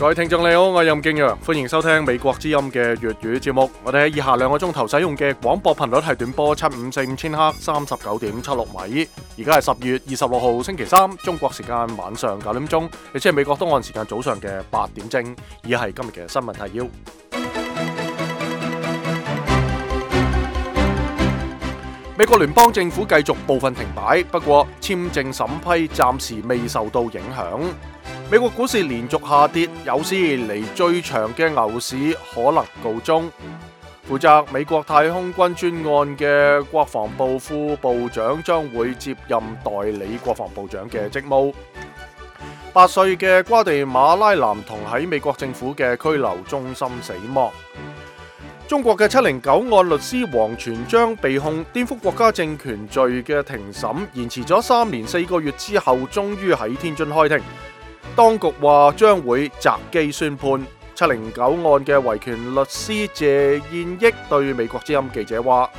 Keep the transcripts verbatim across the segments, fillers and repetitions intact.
各位聽眾你好，我係任敬陽，歡迎收聽美國之音嘅粵語節目。我哋喺以下兩個鐘頭使用嘅廣播頻率係短波七五四五千赫，三十九點七六米。而家係十月二十六號星期三，中國時間晚上九點鐘，亦即係美國東岸時間早上嘅八點正。以下係今日嘅新聞提要。美國聯邦政府繼續部分停擺，不過簽證審批暫時未受到影響。美國股市連續下跌，有史以嚟最長嘅牛市可能告終。負責美國太空軍專案嘅國防部副部長將會接任代理國防部長嘅職務。八歲嘅瓜地馬拉男童喺美國政府嘅拘留中心死亡。中國嘅七零九案律師王全璋被控顛覆國家政權罪嘅庭審延遲咗三年四個月之後，終於喺天津開庭。當局話將會擇機宣判。七零九案嘅維權律師謝燕益對美國之音記者話：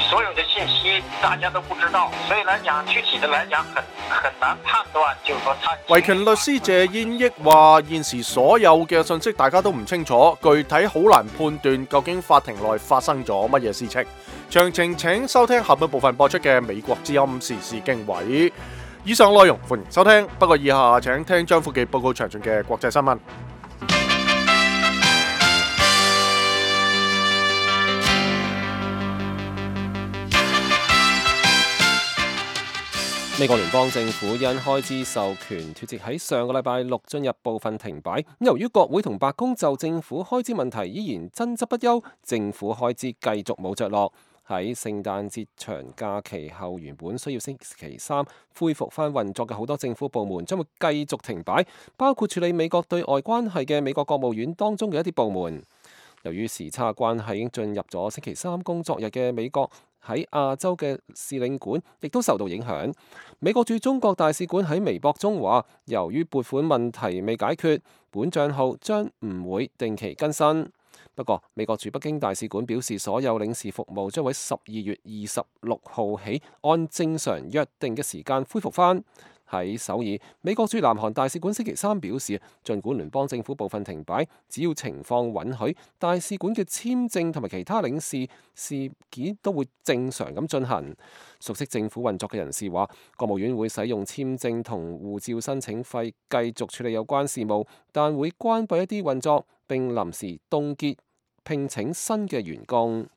所有的信息大家都不知道，所以來講具體的來講很很難判斷，就是說他維權律師謝燕益話現時所有嘅信息大家都唔清楚，具體好難判斷究竟法庭內發生咗乜嘢事情。詳情請收聽下半部分播出嘅美國之音時事經緯。以上內容歡迎收聽，不過以下請聽張富記報告詳盡嘅國際新聞。美國聯邦政府因開支授權脫節，喺上個禮拜六進入部分停擺。由於國會同白宮就政府開支問題依然爭執不休，政府開支繼續冇着落。喺聖誕節長假期後，原本需要星期三恢復翻運作嘅好多政府部門將會繼續停擺，包括處理美國對外關係嘅美國國務院當中嘅一啲部門。由於時差關係，已經進入咗星期三工作日嘅美國喺亞洲嘅使領館亦都受到影響。美國駐中國大使館喺微博中話，由於撥款問題未解決，本帳號將唔會定期更新。不過，美國駐北京大使館表示，所有領事服務將喺十二月二十六號起按正常約定嘅時間恢復返。喺首爾，美國駐南韓大使館星期三表示，儘管聯邦政府部分停擺，只要情況允許，大使館嘅簽證同埋其他領事事件都會正常咁進行。熟悉政府運作嘅人士話，國務院會使用簽證同護照申請費繼續處理有關事務，但會關閉一啲運作並臨時凍結聘請新嘅員工。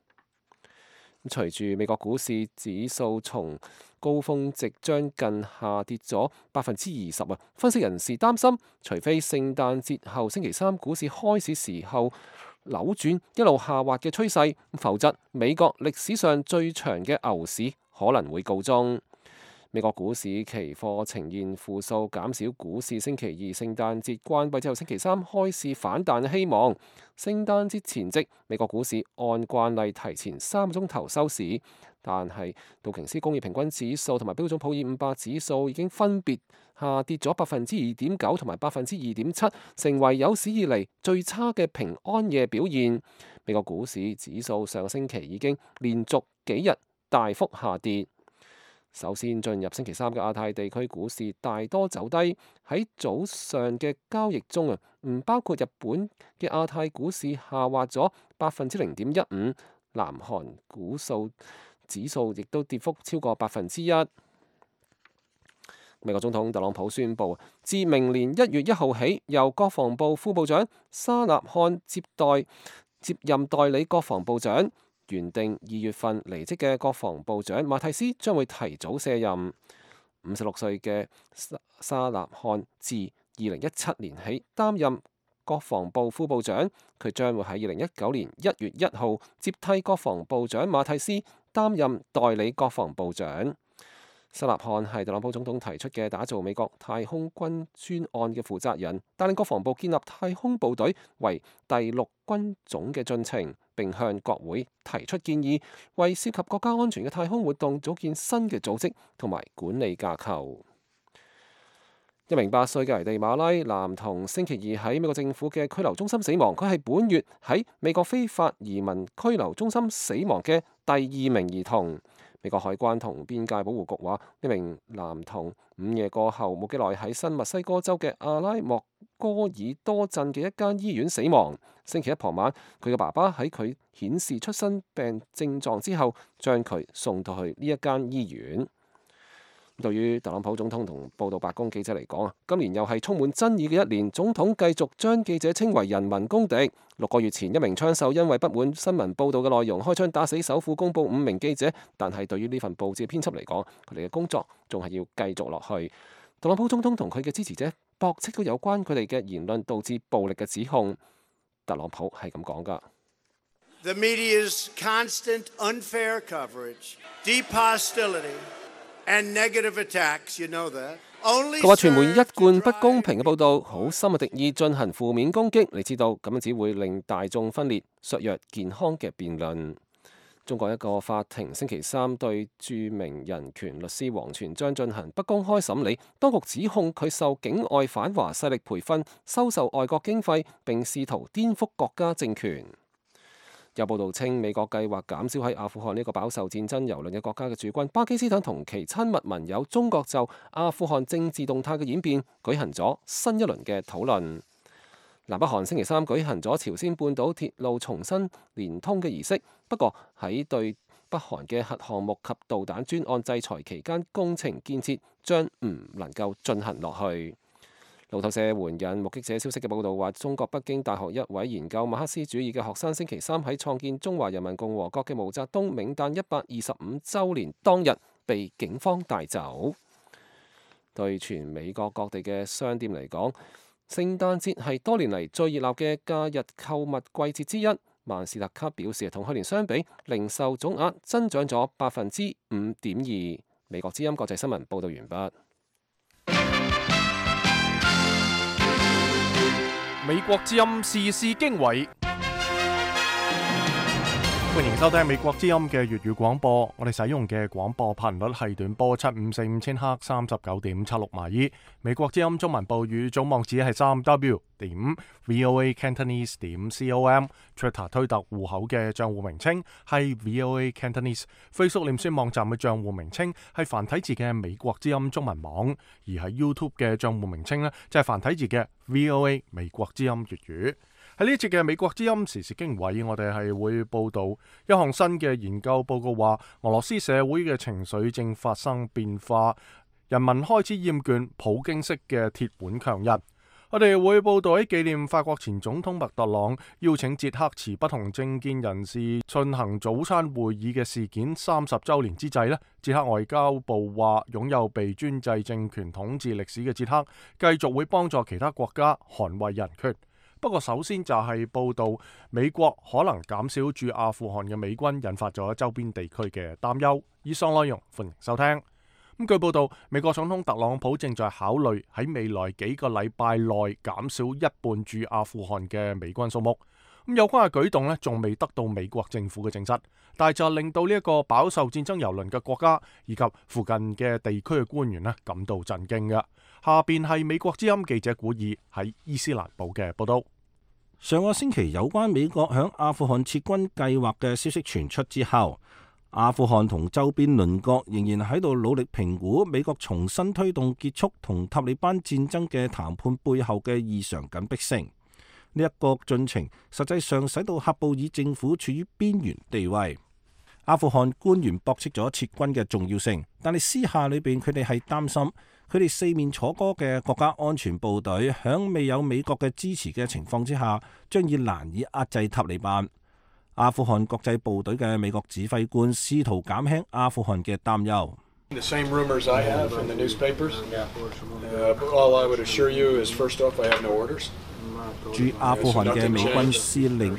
隨住美國股市指數從高峰值將近下跌咗百分之二十啊，分析人士擔心，除非聖誕節後星期三股市開市時候扭轉一路下滑嘅趨勢，否則美國歷史上最長嘅牛市可能會告終。美國股市期貨呈現負數，減少股市星期二聖誕節關閉之後星期三開市反彈嘅希望。聖誕節前夕，美國股市按慣例提前三個鐘頭收市，但係道瓊斯工業平均指數同埋標準普爾五百指數已經分別下跌咗百分之二點九同埋百分之二點七，成為有史以嚟最差嘅平安夜表現。美國股市指數上個星期已經連續幾日大幅下跌。首先進入星期三嘅亞太地區股市大多走低，喺早上嘅交易中啊，唔包括日本嘅亞太股市下滑咗百分之零點一五，南韓股數指數亦都跌幅超過百分之一。美國總統特朗普宣布，自明年一月一號起，由國防部副部長沙納漢接待接任代理國防部長。原定二月份離職嘅國防部長馬蒂斯將會提早卸任。五十六歲嘅沙納漢自二零一七年起擔任國防部副部長，佢將會喺二零一九年一月一號接替國防部長馬蒂斯擔任代理國防部長。沙納漢係特朗普總統提出嘅打造美國太空軍專案嘅負責人，帶領國防部建立太空部隊為第六軍種嘅進程，並向國會提出建議，為涉及國家安全嘅太空活動組建新嘅組織同埋管理架構。一名八歲嘅危地馬拉男童星期二喺美國政府嘅拘留中心死亡，佢係本月喺美國非法移民拘留中心死亡嘅第二名兒童。美國海關同邊界保護局話，呢名男童午夜過後冇幾耐喺新墨西哥州嘅阿拉莫戈爾多鎮嘅一間醫院死亡。星期一傍晚，佢嘅爸爸喺佢顯示出生病症狀之後，將佢送到去呢一間醫院。對於特朗普總統同報道白宮記者嚟講啊，今年又係充滿爭議嘅一年。總統繼續將記者稱為人民公敵。六個月前，一名槍手因為不滿新聞報道嘅內容，開槍打死首府公佈五名記者。但係對於呢份報紙嘅編輯嚟講，佢哋嘅工作仲係要繼續落去。特朗普總統同佢嘅支持者駁斥到有關佢哋嘅言論導致暴力嘅指控。特朗普係咁講㗎。The media's constant unfair coverage, deep hostility, and negative attacks, you know that. 佢話傳媒一貫不公平嘅報導，好深嘅敵意進行負面攻擊，你知道咁樣只會令大眾分裂，削弱健康嘅辯論。中國一個法庭星期三對著名人權律師王全璋進行不公開審理，當局指控佢受境外反華勢力培訓，收受外國經費，並試圖顛覆國家政權。有報道稱，美國計劃減少喺阿富汗呢個飽受戰爭蹂躪嘅國家嘅駐軍。巴基斯坦同其親密盟友中國就阿富汗政治動態嘅演變舉行咗新一輪嘅討論。南北韓星期三舉行咗朝鮮半島鐵路重新連通嘅儀式，不過喺對北韓嘅核項目及導彈專案制裁期間，工程建設將唔能夠進行落去。路透社援引目擊者消息嘅報導話，中國北京大學一位研究馬克思主義嘅學生星期三喺創建中華人民共和國嘅毛澤東冥誕一百二十五週年當日被警方帶走。對全美國各地嘅商店嚟講，聖誕節係多年嚟最熱鬧嘅假日購物季節之一。萬事達卡表示，同去年相比，零售總額增長咗百分之五點二。美國之音國際新聞報導完畢。美國之音時事經緯，歡迎收聽美國之音嘅粵語廣播。我哋使用嘅廣播頻率係短波七五四五千赫三十九點七六米。美國之音中文部語總網址係三 w 點 voa cantonese 點 com。Twitter 推特戶口嘅賬戶名稱係 voa cantonese。Facebook 臉書網站嘅賬戶名稱係繁體字嘅美國之音中文網，而喺 YouTube 嘅賬戶名稱呢，就係繁體字嘅 voa 美國之音粵語。喺呢一節嘅美國之音時事經緯，我哋係會報道一項新嘅研究報告，話俄羅斯社會嘅情緒正發生變化，人民開始厭倦普京式嘅鐵腕強人。我哋會報道喺紀念法國前總統麥特朗邀請捷克持不同政見人士進行早餐會議嘅事件三十週年之際呢，捷克外交部話，擁有被專制政權統治歷史嘅捷克繼續會幫助其他國家捍衛人權。不過首先就係報道美國可能減少駐阿富汗嘅美軍，引發咗周邊地區嘅擔憂。以上內容歡迎收聽。咁據報道，美國總統特朗普正在考慮喺未來幾個禮拜內減少一半駐阿富汗嘅美軍數目。咁有關嘅舉動呢，仲未得到美國政府嘅證實，但係就令到呢一個飽受戰爭蹂躪嘅國家以及附近嘅地區嘅官員呢感到震驚嘅。下邊係美國之音記者古爾喺伊斯蘭堡嘅報道。上個星期有關美國響阿富汗撤軍計劃嘅消息傳出之後，阿富汗同周邊鄰國仍然喺度努力評估美國重新推動結束同塔利班戰爭嘅談判背後嘅異常緊迫性。呢一個進程實際上使到喀布爾政府處於邊緣地位。阿富汗官員駁斥咗撤軍嘅重要性，但係私下裏邊佢哋係擔心佢哋四面楚歌嘅國家安全部隊響未有美國嘅支持嘅情況之下，將以難以壓制塔利班。阿富汗國際部隊嘅美國指揮官試圖減輕阿富汗嘅擔憂。The same rumors I have in the newspapers. Uh, all I would assure you is, first off, I have no orders. 駐阿富汗嘅美軍司令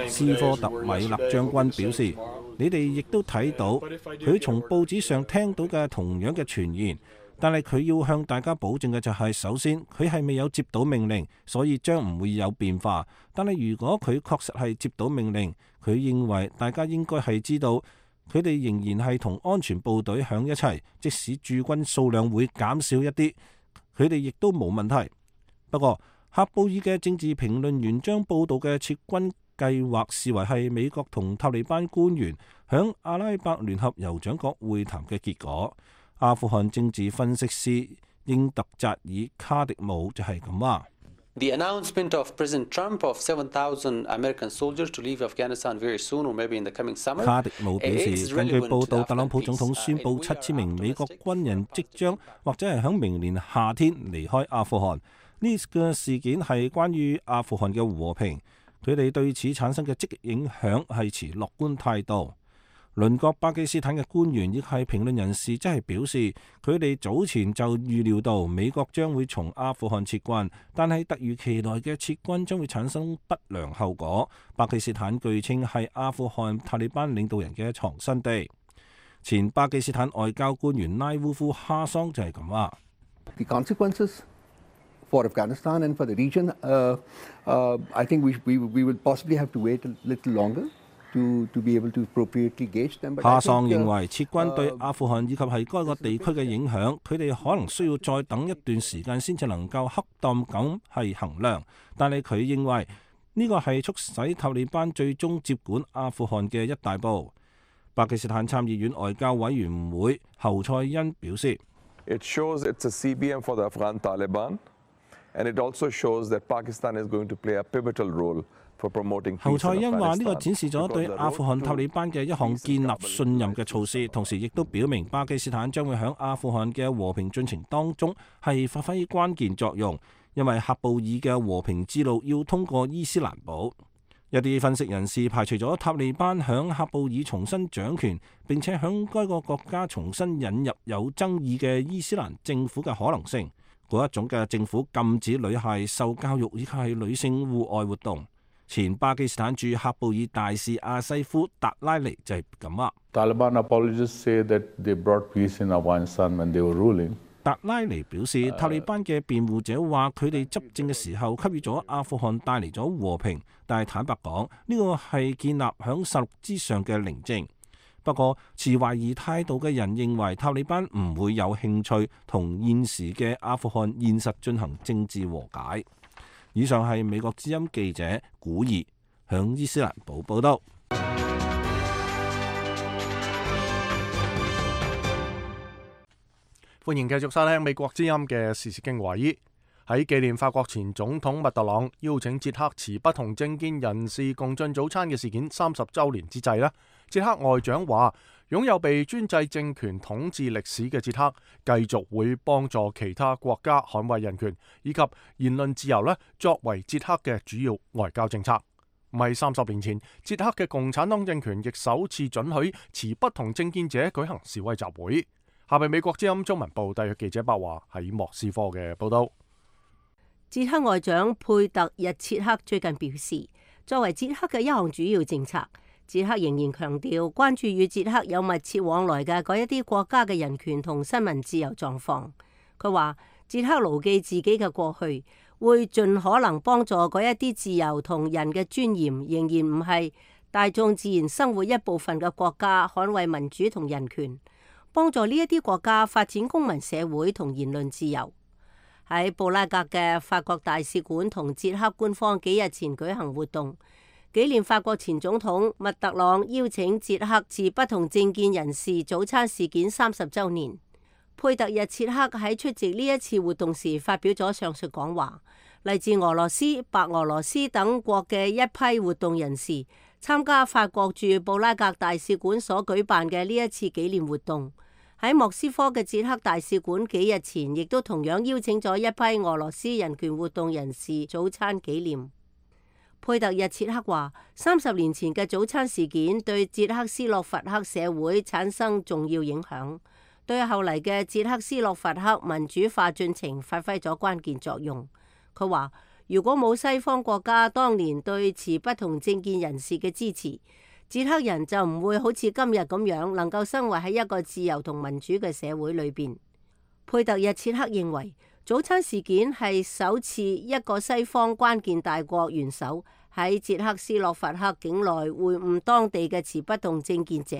斯科特米勒將軍表示，你哋亦都睇到佢從報紙上聽到嘅同樣嘅傳言，但係佢要向大家保證嘅就係，首先佢係未有接到命令，所以將唔會有變化。但係如果佢確實係接到命令，佢認為大家應該係知道，佢哋仍然係同安全部隊響一齊，即使駐軍數量會減少一啲，佢哋亦都冇問題。不過，喀布爾嘅政治評論員將報道嘅撤軍計劃視為係美國同塔利班官員響阿拉伯聯合酋長國會談嘅結果。阿富汗政治分析師英特扎爾卡迪姆就係咁話。The announcement of President Trump of seven thousand American soldiers to leave Afghanistan very soon, or maybe in the coming summer. 卡迪姆表示，根據報道，特朗普總統宣布七千名美國軍人即將或者係響明年夏天離開阿富汗。呢個事件係關於阿富汗嘅和平，佢哋對此產生嘅積極影響係持樂觀態度。鄰國巴基斯坦嘅官員亦係評論人士，即係表示佢哋早前就預料到美國將會從阿富汗撤軍，但係突如其來嘅撤軍將會產生不良後果。巴基斯坦據稱係阿富汗塔利班領導人嘅藏身地。前巴基斯坦外交官員拉烏夫哈桑就係咁話。The consequences for Afghanistan and for the region, uh, uh, I think we, we, we will possibly have to wait a little longer. To, to be able to appropriately gauge them. 哈桑認為撤軍對阿富汗以及係該個地區嘅影響，佢哋可能需要再等一段時間先至能夠恰當咁係衡量。但係佢認為呢個係促使塔利班最終接管阿富汗嘅一大步。巴基斯坦參議院外交委員會侯賽因表示 ，It shows it's a C B M for the Afghan Taliban, and it also shows that Pakistan is going to play a pivotal role.侯賽因話：呢個展示咗對阿富汗塔利班嘅一項建立信任嘅措施，同時亦都表明巴基斯坦將會喺阿富汗嘅和平進程當中係發揮關鍵作用，因為喀布爾嘅和平之路要通過伊斯蘭堡。一啲分析人士排除咗塔利班響喀布爾重新掌權，並且響該個國家重新引入有爭議嘅伊斯蘭政府嘅可能性。嗰一種嘅政府禁止女孩受教育以及係女性戶外活動。前巴基斯坦駐喀布爾大使阿西夫達拉尼就係咁話。Taliban apologists say that they brought peace in Afghanistan when they were ruling. 達拉尼表示，塔利班嘅辯護者話佢哋執政嘅時候給予咗阿富汗帶嚟咗和平，但係坦白講，呢個係建立響實錄之上嘅寧靜。不過，持懷疑態度嘅人認為塔利班唔會有興趣同現時嘅阿富汗現實進行政治和解。以上係美國之音記者古爾響伊斯蘭堡報道。歡迎繼續收聽美國之音嘅時事經緯。喺紀念法國前總統密特朗邀請捷克持不同政見人士共進早餐嘅事件三十週年之際呢，捷克外長話，擁有被專制政權統治歷史嘅捷克繼續會幫助其他國家捍衛人權以及言論自由呢，作為捷克嘅主要外交政策。唔係三十年前，捷克嘅共產黨政權亦首次准許持不同政見者舉行示威集會。下邊美國之音中文部特約記者白華喺莫斯科嘅報道。捷克外長佩特日切克最近表示，作為捷克嘅一項主要政策，捷克仍然強調關注與捷克有密切往來嘅嗰一啲國家嘅人權同新聞自由狀況。佢話捷克牢記自己嘅過去，會盡可能幫助嗰一啲自由同人嘅尊嚴仍然唔係大眾自然生活一部分嘅國家捍衛民主同人權，幫助呢一啲國家發展公民社會同言論自由。喺布拉格嘅法國大使館同捷克官方幾日前舉行活動，紀念法國前總統密特朗邀請捷克持不同政見人士早餐事件三十週年。佩特日切克喺出席呢一次活動時發表咗上述講話。嚟自俄羅斯、白俄羅斯等國嘅一批活動人士參加法國駐布拉格大使館所舉辦嘅呢一次紀念活動。喺莫斯科嘅捷克大使館幾日前亦都同樣邀請咗一批俄羅斯人權活動人士早餐紀念。佩特日切克話，三十年前嘅早餐事件對捷克斯洛伐克社會產生重要影響，對後嚟嘅捷克斯洛伐克民主化進程發揮咗關鍵作用。佢話，如果冇西方國家當年對持不同政見人士嘅支持，捷克人就唔會好似今日咁樣能夠生活喺一個自由同民主嘅社會裏邊。佩特日切克認為，早餐事件係首次一個西方關鍵大國元首喺捷克斯洛伐克境內會晤當地嘅持不同政見者。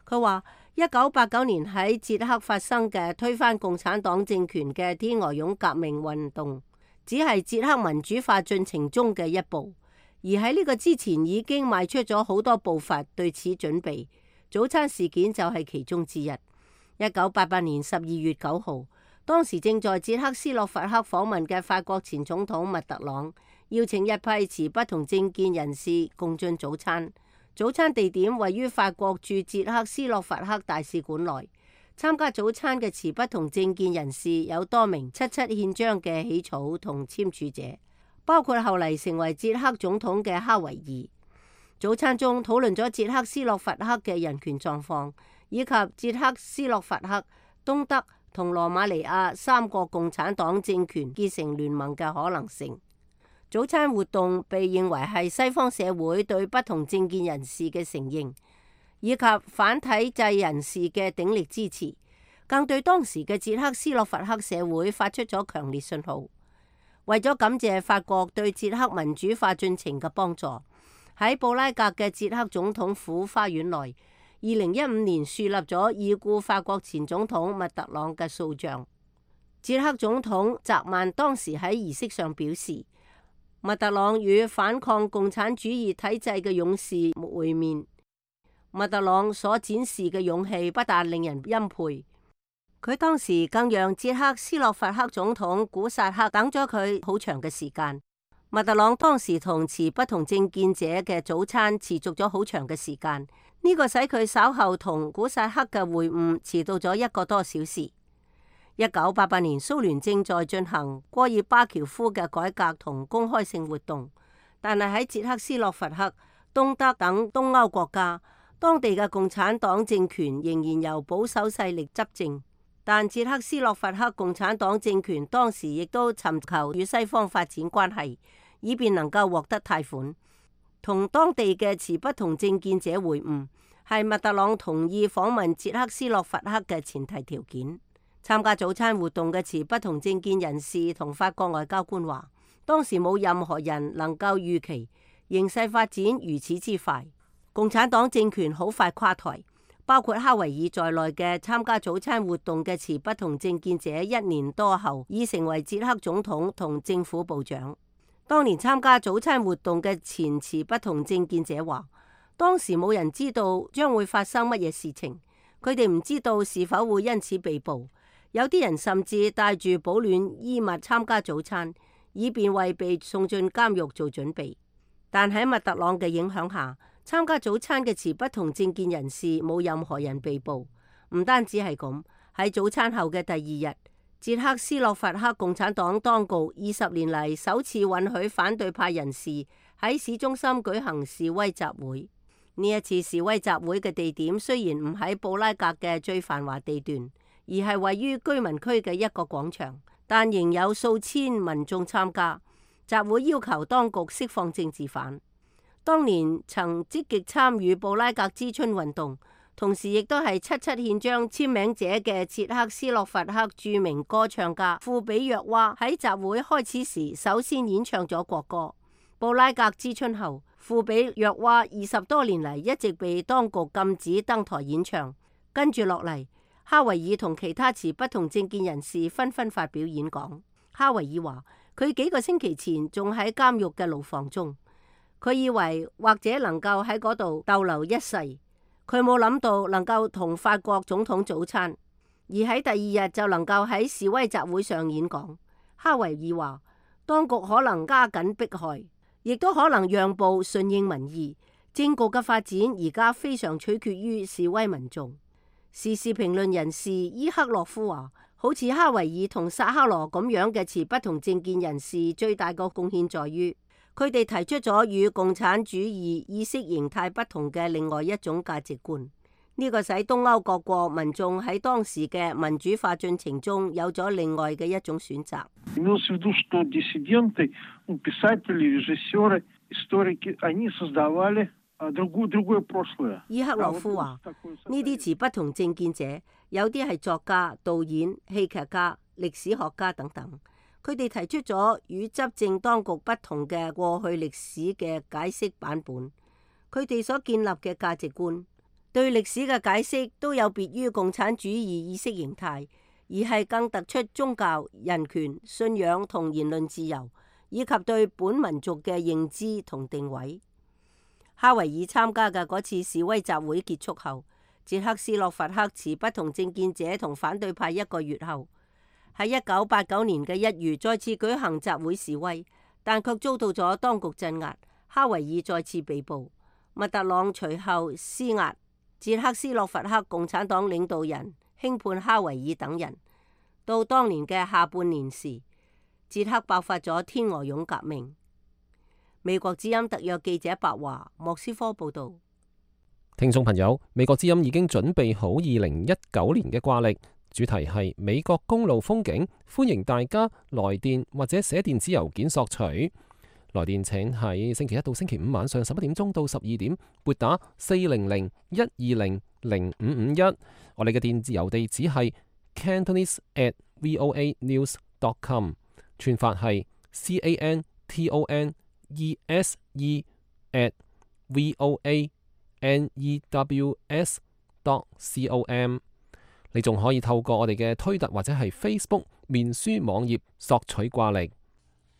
佢話，一九八九年喺捷克發生嘅推翻共產黨政權嘅天鵝絨革命運動，只係捷克民主化進程中嘅一步。而喺呢個之前已經邁出咗好多步伐對此準備，早餐事件就係其中之一。一九八八年十二月九號，當時正在捷克斯洛伐克訪問嘅法國前總統密特朗邀請一批持不同政見人士共進早餐。早餐地點位於法國駐捷克斯洛伐克大使館內。參加早餐嘅持不同政見人士有多名七七憲章嘅起草同簽署者，包括後嚟成為捷克總統嘅哈維爾。早餐中討論咗捷克斯洛伐克嘅人權狀況，以及捷克斯洛伐克、東德同羅馬尼亞三個共產黨政權結成聯盟嘅可能性。早餐活動被認為係西方社會對不同政見人士嘅承認，以及反體制人士嘅鼎力支持，更對當時嘅捷克斯洛伐克社會發出咗強烈信號。為咗感謝法國對捷克民主化進程嘅幫助，喺布拉格嘅捷克總統府花園內，二零一五年樹立咗已故法國前總統密特朗嘅塑像。捷克總統澤曼當時喺儀式上表示，密特朗與反抗共產主義體制嘅勇士會面。密特朗所展示嘅勇氣不但令人欽佩，佢當時更讓捷克斯洛伐克總統古薩克等咗佢好長嘅時間。密特朗當時同持不同政見者嘅早餐持續咗好長嘅時間，呢個使佢稍後同古薩克嘅會晤遲到咗一個多小時。一九八八年蘇聯正在進行戈爾巴喬夫嘅改革同公開性活動，但係喺捷克斯洛伐克、東德等東歐國家，當地嘅共產黨政權仍然由保守勢力執政。但捷克斯洛伐克共產黨政權當時亦都尋求與西方發展關係，以便能夠獲得貸款。同當地嘅持不同政見者會晤，係密特朗同意訪問捷克斯洛伐克嘅前提條件。參加早餐活動嘅持不同政見人士同法國外交官話，當時冇任何人能夠預期形勢發展如此之快，共產黨政權好快垮台。包括哈維爾在內嘅參加早餐活動嘅持不同政見者，一年多後已成為捷克總統同政府部長。當年參加早餐活動嘅前持不同政見者話，當時冇人知道將會發生乜嘢事情，佢哋唔知道是否會因此被捕。有啲人甚至帶住保暖衣物參加早餐，以便為被送進監獄做準備。但喺密特朗嘅影響下，參加早餐嘅持不同政見人士冇任何人被捕。唔單止係咁，喺早餐後嘅第二日，捷克斯洛伐克共產黨當局二十年嚟首次允許反對派人士喺市中心舉行示威集會。呢一次示威集會嘅地點雖然唔喺布拉格嘅最繁華地段，而係位於居民區嘅一個廣場，但仍有數千民眾參加。集會要求當局釋放政治犯。當年曾積極參與布拉格之春運動，同時亦都係七七憲章簽名者嘅捷克斯洛伐克著名歌唱家庫比約娃喺集會開始時首先演唱咗國歌。布拉格之春後，庫比約娃二十多年嚟一直被當局禁止登台演唱。跟住落嚟，哈維爾同其他持不同政見人士紛紛發表演講。哈維爾話，佢幾個星期前仲喺監獄嘅牢房中。佢以為或者能夠喺嗰度逗留一世，佢冇諗到能夠同法國總統早餐，而喺第二日就能夠喺示威集會上演講。哈維爾話，當局可能加緊迫害，亦都可能讓步順應民意。政局嘅發展而家非常取決於示威民眾。時事評論人士伊克洛夫話，好似哈維爾同薩克羅咁樣嘅持不同政見人士，最大個貢獻在於，佢哋提出咗與共產主義意識形態不同嘅另外一種價值觀，呢個使東歐各國民眾喺當時嘅民主化進程中有咗另外嘅一種選擇。伊克洛夫話：呢啲持不同政見者，有啲係作家、導演、戲劇家、歷史學家等等。佢哋提出咗與執政當局不同嘅過去歷史嘅解釋版本，佢哋所建立嘅價值觀對歷史嘅解釋都有別於共產主義意識形態，而係更突出宗教、人權、信仰同言論自由，以及對本民族嘅認知同定位。哈維爾參加嘅嗰次示威集會結束後，捷克斯洛伐克持不同政見者同反對派一個月後，喺一九八九年嘅一月再次舉行集會示威，但卻遭到咗當局鎮壓。哈維爾再次被捕，密特朗隨後施壓，捷克斯洛伐克共產黨領導人輕判哈維爾等人。到當年嘅下半年時，捷克爆發咗天鵝絨革命。美國之音特約記者白華莫斯科報道。聽眾朋友，美國之音已經準備好二零一九年嘅掛曆，主題係美國公路風景，歡迎大家來電或者寫電子郵件索取。來電請喺星期一到星期五晚上十一點鐘到十二點撥打四零零一二零零五五一。我哋嘅電子郵地址係 cantonese at voa news dot com， 串法係 c a n t o n e s e at voa n e w s dot com。 你仲可以透過我哋嘅推特或者係 Facebook 面書網頁索取掛曆。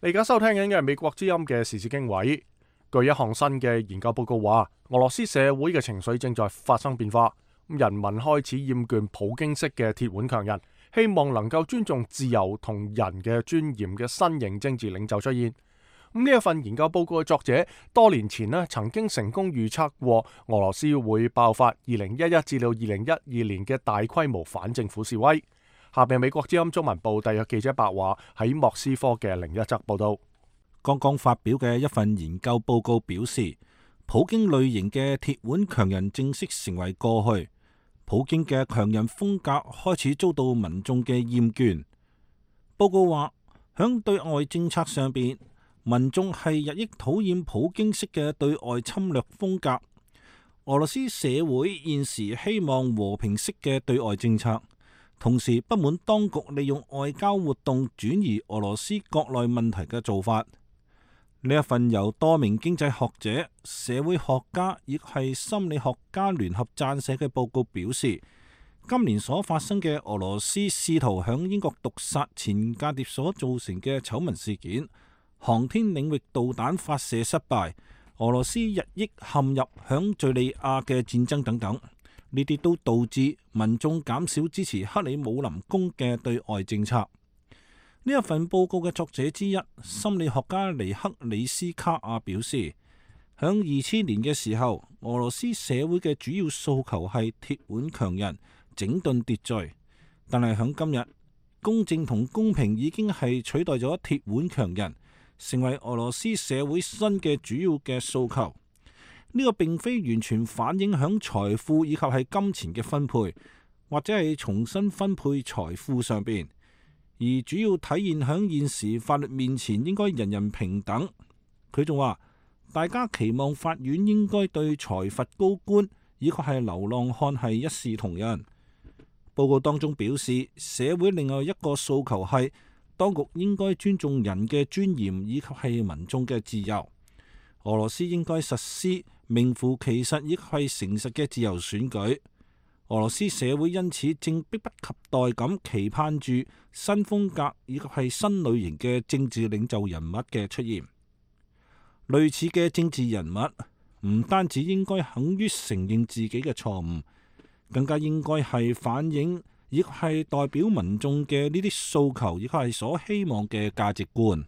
你而家收聽緊嘅係美國之音嘅時事經緯。據一項新嘅研究報告話，俄羅斯社會嘅情緒正在發生變化，人民開始厭倦普京式嘅鐵腕強人，希望能夠尊重自由同人嘅尊嚴嘅新型政治領袖出現。咁呢一份研究報告嘅作者多年前呢曾經成功預測過俄羅斯會爆發二零一一至到二零一二年嘅大規模反政府示威。下邊美國之音中文部特約記者白華喺莫斯科嘅另一則報道。剛剛發表嘅一份研究報告表示，普京類型嘅鐵腕強人正式成為過去，普京嘅強人風格開始遭到民眾嘅厭倦。報告話，響對外政策上邊，民眾係日益討厭普京式嘅對外侵略風格。俄羅斯社會現時希望和平式嘅對外政策，同時不滿當局利用外交活動轉移俄羅斯國內問題嘅做法。呢一份由多名經濟學者、社會學家亦係心理學家聯合撰寫嘅報告表示，今年所發生嘅俄羅斯試圖響英國毒殺前間諜所造成嘅醜聞事件，航天領域導彈發射失敗，俄羅斯日益陷入響敘利亞嘅戰爭等等，呢啲都導致民眾減少支持克里姆林宮嘅對外政策。呢一份報告嘅作者之一，心理學家尼克里斯卡亞表示，響二千年嘅時候，俄羅斯社會嘅主要訴求係鐵腕強人整頓秩序，但係響今日，公正同公平已經係取代咗鐵腕強人，成為俄羅斯社會新嘅主要嘅訴求。呢個並非完全反映響財富以及係金錢嘅分配，或者係重新分配財富上邊，而主要體現響現時法律面前應該人人平等。佢仲話，大家期望法院應該對裁罰高官以及係流浪漢係一視同仁。報告當中表示，社會另外一個訴求係當局應該尊重人嘅尊嚴以及係民眾嘅自由。俄羅斯應該實施名副其實亦係誠實嘅自由選舉。俄羅斯社會因此正迫不及待咁期盼住新風格以及係新類型嘅政治領袖人物嘅出現。類似嘅政治人物唔單止應該肯於承認自己嘅錯誤，更加應該係反映亦係代表民眾嘅呢啲訴求，亦係所希望嘅價值觀。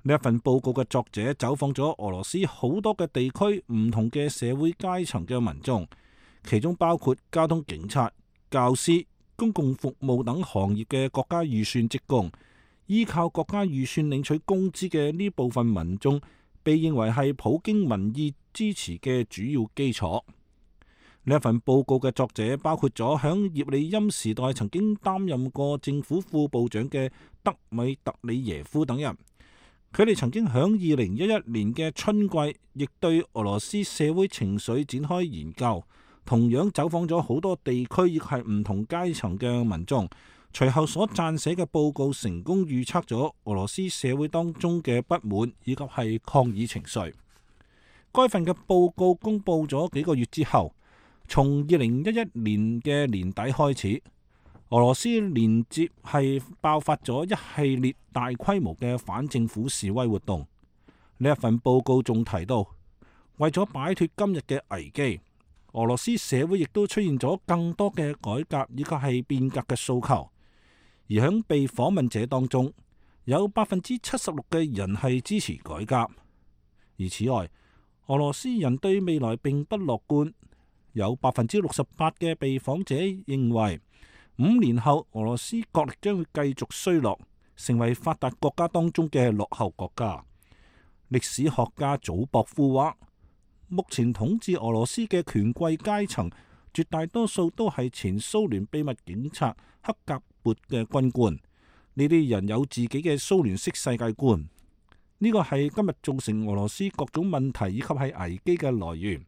呢一份報告嘅作者走訪咗俄羅斯好多嘅地區，唔同嘅社會階層嘅民眾，其中包括交通警察、教師、公共服務等行業嘅國家預算職工。依靠國家預算領取工資嘅呢部分民眾，被認為係普京民意支持嘅主要基礎。呢一份報告嘅作者包括咗響葉利欽時代曾經擔任過政府副部長嘅德米特里耶夫等人。佢哋曾經響二零一一年嘅春季，亦對俄羅斯社會情緒展開研究，同樣走訪咗好多地區，亦係唔同階層嘅民眾。隨後所撰寫嘅報告成功預測咗俄羅斯社會當中嘅不滿以及係抗議情緒。該份嘅報告公佈咗幾個月之後，從二零一一年嘅年底開始，俄羅斯連接係爆發咗一系列大規模嘅反政府示威活動。呢一份報告仲提到，為咗擺脫今日嘅危機，俄羅斯社會亦都出現咗更多嘅改革以及係變革嘅訴求。而響被訪問者當中，有百分之七十六嘅人係支持改革。而此外，俄羅斯人對未來並不樂觀，有百分之六十八嘅被訪者認為五年後俄羅斯國力將會繼續衰落，成為發達國家當中嘅落後國家。歷史學家祖博夫話，目前統治俄羅斯嘅權貴階層絕大多數都係前蘇聯秘密警察克格勃嘅軍官，呢啲人有自己嘅蘇聯式世界觀，呢個係今日造成俄羅斯各種問題以及係危機嘅來源。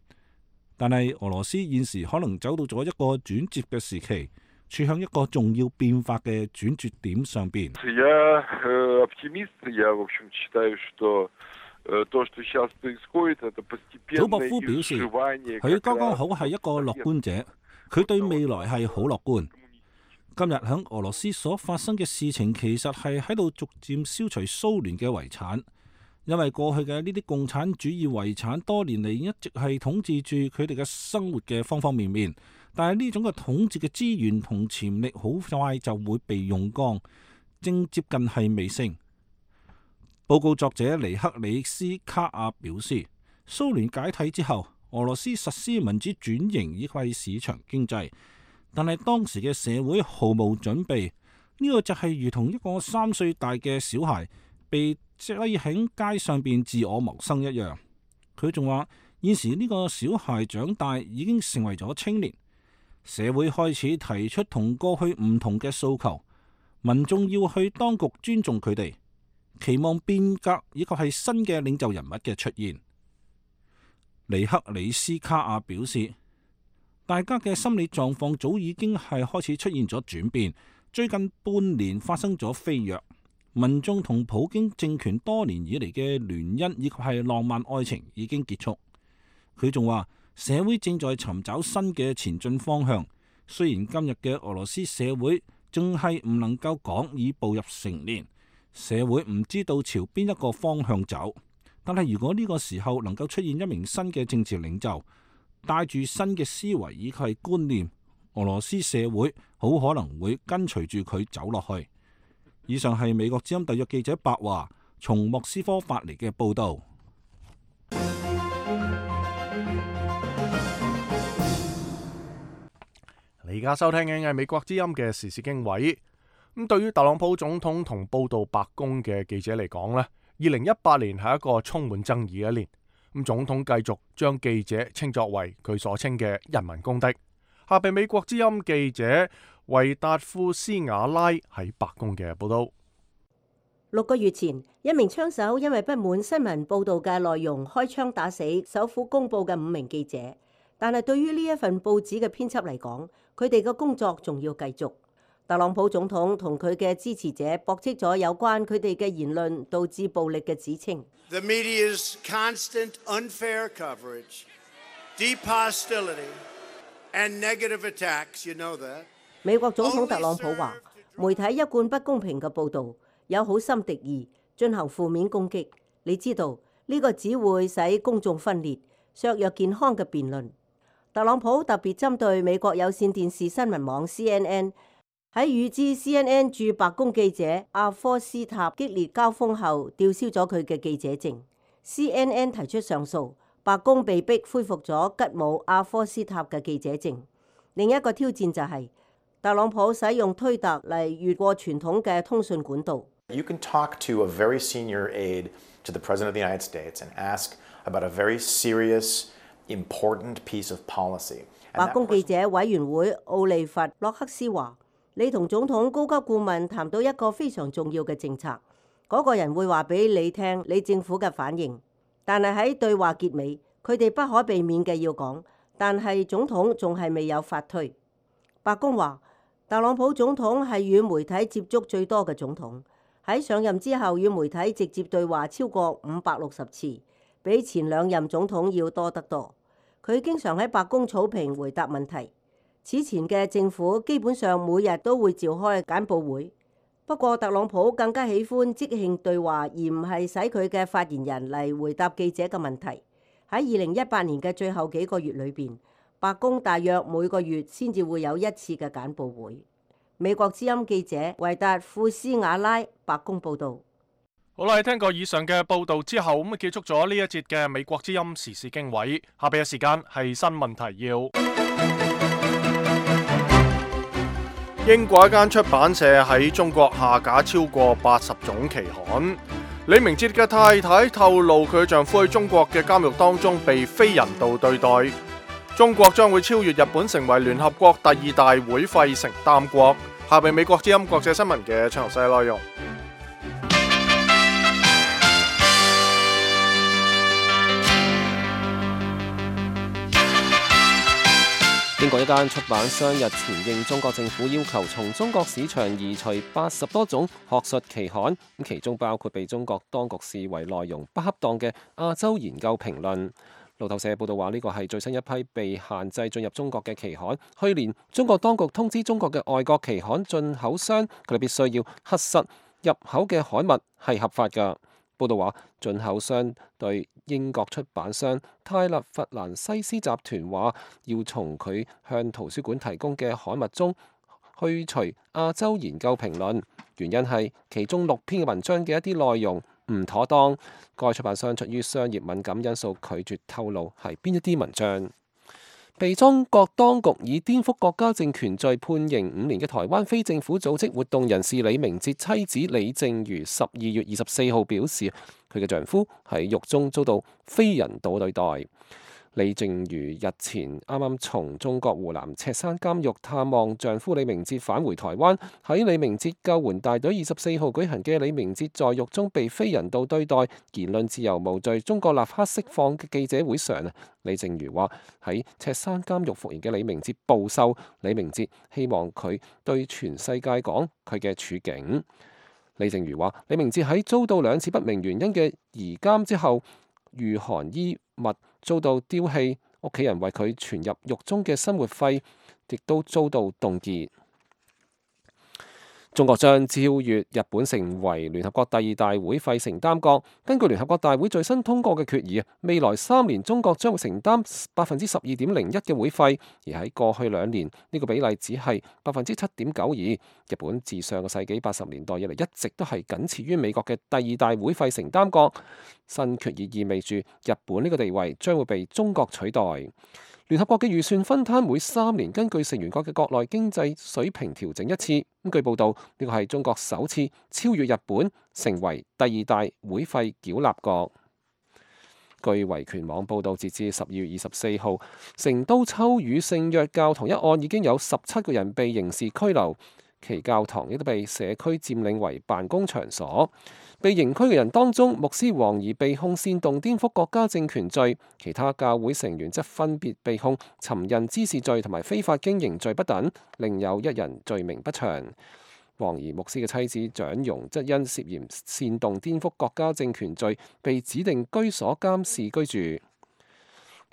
但係俄羅斯現時可能走到咗一個轉折嘅時期，處向一個重要變化嘅轉折點上邊。祖博夫表示，佢剛剛好係一個樂觀者，佢對未來係好樂觀。今日喺俄羅斯所發生嘅事情，其實係喺度逐漸消除蘇聯嘅遺產，因為過去嘅呢啲共產主義遺產多年嚟一直係統治住佢哋嘅生活嘅方方面面，但係呢種嘅統治嘅資源同潛力好快就會被用光，正接近係尾聲。報告作者尼克里斯卡亞表示，蘇聯解體之後，俄羅斯實施民主轉型以及市場經濟，但係當時嘅社會毫無準備，呢個就係如同一個三歲大嘅小孩被擠喺街上邊自我謀生一樣。佢仲話，現時呢個小孩長大已經成為咗青年，社會開始提出同過去唔同嘅訴求，民眾要去當局尊重佢哋，期望變革以及係新嘅領袖人物嘅出現。尼克里斯卡亞表示，大家嘅心理狀況早已經係開始出現咗轉變，最近半年發生咗飛躍，民眾同普京政權多年以嚟嘅聯姻以及係浪漫愛情已經結束。佢仲話，社會正在尋找新嘅前進方向，雖然今日嘅俄羅斯社會仲係唔能夠講已步入成年，社會唔知道朝邊一個方向走，但係如果呢個時候能夠出現一名新嘅政治領袖，帶住新嘅思維以及係觀念，俄羅斯社會好可能會跟隨住佢走落去。以上係美國之音特約記者白華從莫斯科發嚟嘅報道。你而家收聽嘅係美國之音嘅時事經緯。咁對於特朗普總統同報道白宮嘅記者嚟講呢，二零一八年係一個充滿爭議嘅一年。咁總統繼續將記者稱作為佢所稱嘅人民公敵。下邊美國之音記者維達夫斯瓦拉喺白宮嘅報道。六個月前，一名槍手因為不滿新聞報道嘅內容，開槍打死首府公報嘅五名記者。但係對於呢一份報紙嘅編輯嚟講，佢哋嘅工作仲要繼續。特朗普總統同佢嘅支持者駁斥咗有關佢哋嘅言論導致暴力嘅指稱。The media's constant unfair coverage, deep hostility, and negative attacks, you know that. 美國總統特朗普話，媒體一貫不公平嘅報導，有好心敵意，進行負面攻擊。你知道呢個只會使公眾分裂，削弱健康嘅辯論。特朗普特別針對美國有線電視新聞網 C N N。喺與之 C N N 駐白宮記者阿科斯塔激烈交鋒後，吊銷咗佢嘅記者證。C N N 提出上訴，白宮被逼恢復咗吉姆阿科斯塔嘅記者證。另一個挑戰就係、是、特朗普使用推特嚟越過傳統嘅通訊管道。You can talk to a very senior aide to the President of the United States and ask about a very serious, important piece of policy. 白宮記者委員會奧利弗洛克斯話：你同總統高級顧問談到一個非常重要嘅政策，嗰、那個人會話俾你聽你政府嘅反應。但係喺對話結尾，佢哋不可避免嘅要講，但係總統仲係未有發推。白宮話，特朗普總統係與媒體接觸最多嘅總統，喺上任之後與媒體直接對話超過五百六十次，比前兩任總統要多得多。佢經常喺白宮草坪回答問題。此前嘅政府基本上每日都會召開簡報會，不過特朗普更加喜歡即興對話，而唔係使佢嘅發言人嚟回答記者嘅問題。喺二零一八年嘅最後幾個月裏邊，白宮大約每個月先至會有一次嘅簡報會。美國之音記者維達庫斯瓦拉白宮報導。好啦，聽過以上嘅報導之後，咁啊結束咗呢一節嘅美國之音時事經緯。下邊嘅時間係新聞提要。英國一間出版社喺中國下架超過八十種期刊。李明哲嘅太太透露，佢丈夫喺中國嘅監獄當中被非人道對待。中國將會超越日本，成為聯合國第二大會費承擔國。下邊美國之音國際新聞嘅詳細內容。英國一間出版商日前應中國政府要求，從中國市場移除八十多種學術期刊，其中包括被中國當局視為內容不恰當嘅亞洲研究評論。路透社報道話，呢個係最新一批被限制進入中國嘅期刊。去年中國當局通知中國嘅外國期刊進口商，佢哋必須要核實入口嘅刊物係合法㗎。報道話，進口商對英國出版商泰勒弗蘭西斯集團話，要從佢向圖書館提供嘅刊物中去除亞洲研究評論，原因係其中六篇嘅文章嘅一啲內容唔妥當。該出版商出於商業敏感因素，拒絕透露係邊一啲文章。被中國當局以顛覆國家政權罪判刑五年嘅台灣非政府組織活動人士李明哲妻子李淨瑜十二月二十四號表示，佢嘅丈夫喺獄中遭到非人道對待。李淨瑜日前啱啱從中國湖南赤山監獄探望丈夫李明哲返回台灣，喺李明哲救援大隊二十四號舉行嘅李明哲在獄中被非人道對待、言論自由無罪、中國立刻釋放嘅記者會上，李淨瑜話喺赤山監獄服刑嘅李明哲暴瘦，李明哲希望佢對全世界講佢嘅處境。李淨瑜話，李明哲喺遭到兩次不明原因嘅移監之後，御寒衣物遭到丟棄，屋企人為佢存入獄中嘅生活費亦都遭到凍結。中國將超越日本成為聯合國第二大會費承擔國。根據聯合國大會最新通過嘅決議，未來三年中國將會承擔百分之十二點零一嘅會費，而喺過去兩年呢、這個比例只係百分之七點九二。日本自上個世紀八十年代以嚟一直都係僅次於美國嘅第二大會費承擔國。新決議意味住日本呢個地位將會被中國取代。聯合國嘅預算分攤每三年根據成員國嘅國內經濟水平調整一次。咁據報道，呢個係中國首次超越日本成為第二大會費繳納國。據維權網報導，截至十二月二十四號，成都秋雨聖約教堂一案已經有十七個人被刑事拘留，其教堂亦都被社區佔領為辦公場所。被刑拘嘅人當中，牧師王怡被控煽動顛覆國家政權罪，其他教會成員則分別被控尋釁滋事罪同埋非法經營罪不等，另有一人罪名不詳。王怡牧師嘅妻子蔣容則因涉嫌煽動顛覆國家政權罪，被指定居所監視居住。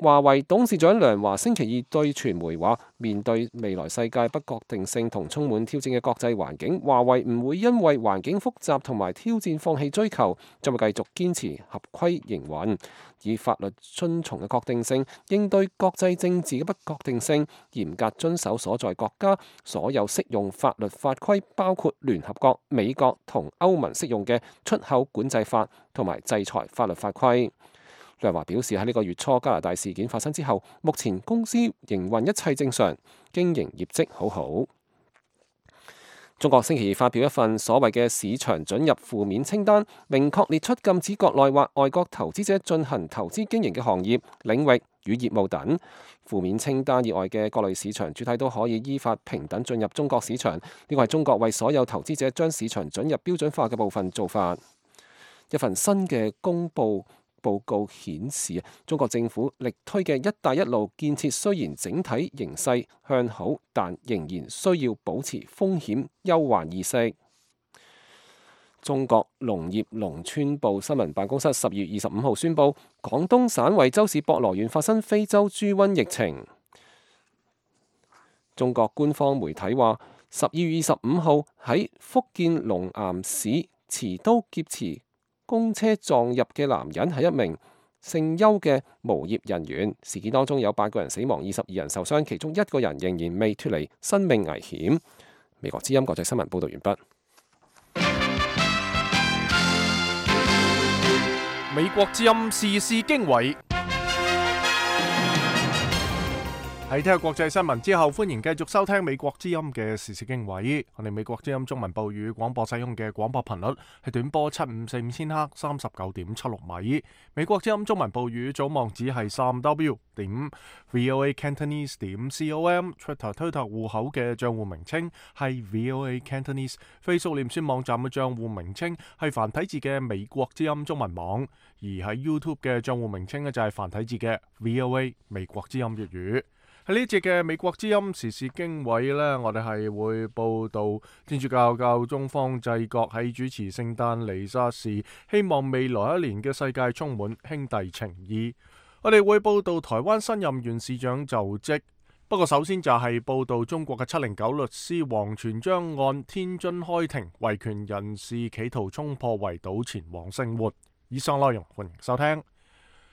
華為董事長梁華星期二對傳媒話，面對未來世界不確定性同充滿挑戰嘅國際環境，華為唔會因為環境複雜同埋挑戰放棄追求，將會繼續堅持合規營運，以法律遵從嘅確定性應對國際政治嘅不確定性，嚴格遵守所在國家所有適用法律法規，包括聯合國、美國同歐盟適用嘅出口管制法同埋制裁法律法規。梁華表示，喺呢個月初加拿大事件發生之後，目前公司營運一切正常，經營業績好好。中國星期二發表一份所謂嘅市場准入負面清單，明確列出禁止國內或外國投資者進行投資經營嘅行業、領域與業務等。負面清單以外嘅各類市場主體都可以依法平等進入中國市場。呢個係中國為所有投資者將市場准入標準化嘅部分做法。一份新嘅公佈報告顯示，中國政府力推嘅一帶一路建設雖然整體形勢向好，但仍然需要保持風險憂患意識。中國農業農村部新聞辦公室十月二十五號宣布，廣東省惠州市博羅縣發生非洲豬瘟疫情。中國官方媒體話，十二月二十五號喺福建龍岩市持刀劫持公車撞入嘅男人係一名姓邱嘅無業人員，事件當中有八個人死亡，二十二人受傷，其中一個人仍然未脫離生命危險。美國之音國際新聞報道完畢。美國之音時事經緯。喺聽下國際新聞之後，歡迎繼續收聽美國之音嘅時事經緯。我哋美國之音中文部語廣播使用嘅廣播頻率係短波七五四五千赫，三十九點七六米。美國之音中文部語組網址係三 w 點 voa cantonese 點 com。Twitter 推特戶口嘅賬戶名稱係 voa cantonese。Facebook 臉書網站嘅賬戶名稱係繁體字嘅美國之音中文網。而喺 YouTube 嘅賬戶名稱呢，就係繁體字嘅 voa 美國之音粵語。喺呢節嘅美國之音時事經緯呢，我哋係會報道天主教教宗方濟各喺主持聖誕彌撒時，希望未來一年嘅世界充滿兄弟情誼。我哋會報道台灣新任縣市長就職。不過首先就係報道中國嘅七零九律師王全璋案，天津開庭，維權人士企圖衝破圍堵前往生活。以上內容歡迎收聽。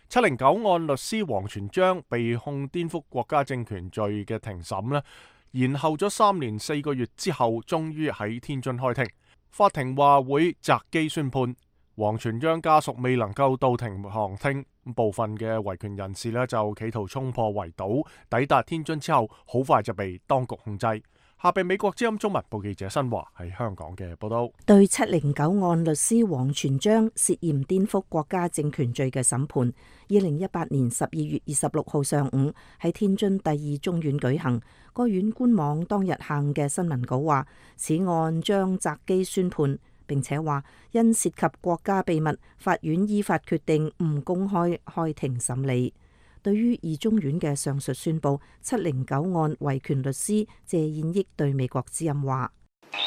七零九案律師王全璋被控顛覆國家政權罪嘅庭審呢，延後咗三年四個月之後，終於喺天津開庭。法庭話會擇機宣判。王全璋家屬未能夠到庭旁聽，部分嘅維權人士呢就企圖衝破圍堵，抵達天津之後，好快就被當局控制。下被美國之音中文部記者新華喺香港嘅報道。對七零九案律師王全璋涉嫌顛覆國家政權罪嘅審判，二零一八年十二月二十六號上午喺天津第二中院舉行。該院官網當日下午嘅新聞稿話，此案將擇機宣判，並且話因涉及國家秘密，法院依法決定唔公開開庭審理。對於二中院嘅上述宣佈，七零九案維權律師謝燕益對美國之音話：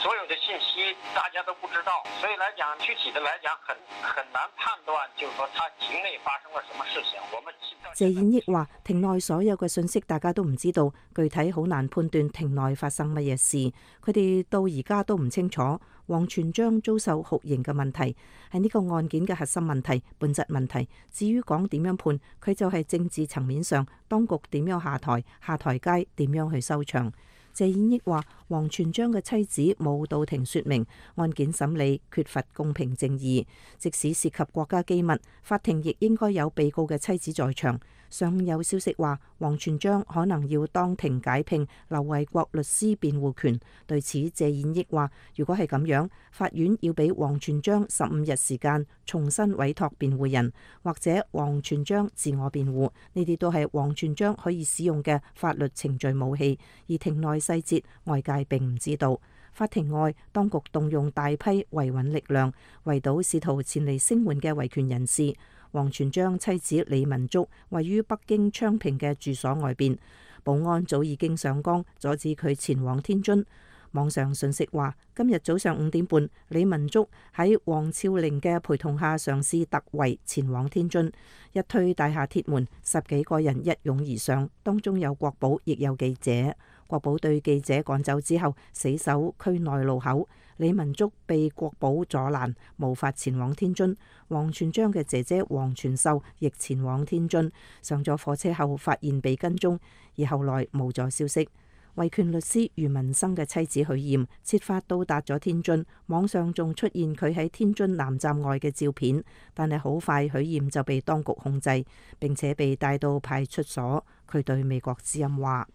所有的信息大家都不知道，所以來講具體的來講很很難判斷，就是說他庭內發生了什麼事情。我們謝燕益話：庭內所有嘅信息大家都唔知道，具體好難判斷庭內發生乜嘢事。佢哋到而家都唔清楚王全璋遭受酷刑嘅問題係呢個案件嘅核心問題、本質問題。至於講點樣判，佢就係政治層面上當局點樣下台、下台階點樣去收場。謝燕益話：王全璋嘅妻子冇到庭說明案件審理缺乏公平正義，即使涉及國家機密，法庭亦應該有被告嘅妻子在場。上有消息話，王全璋可能要當庭解聘劉衛國律師辯護權。對此，謝燕益話：如果係咁樣，法院要俾王全璋十五日時間重新委託辯護人，或者王全璋自我辯護，呢啲都係王全璋可以使用嘅法律程序武器。而庭內細節，外界並唔知道。法庭外，當局動用大批維穩力量，圍堵試圖前嚟聲援嘅維權人士。王全璋妻子李文竹位於北京昌平嘅住所外邊，保安早已經上崗阻止佢前往天津。網上信息話，今日早上五點半，李文竹喺王峭嶺嘅陪同下嘗試突圍前往天津，一推大廈鐵門，十幾個人一擁而上，當中有國保，亦有記者。國保對記者趕走之後，死守區內路口。李文竹被國保阻攔，無法前往天津。王全璋嘅姐姐王全秀亦前往天津，上咗火車後發現被跟蹤，而後來無咗消息。維權律師余文生嘅妻子許艷設法到達咗天津，網上仲出現佢喺天津南站外嘅照片，但係好快許艷就被當局控制，並且被帶到派出所。佢對美國之音話：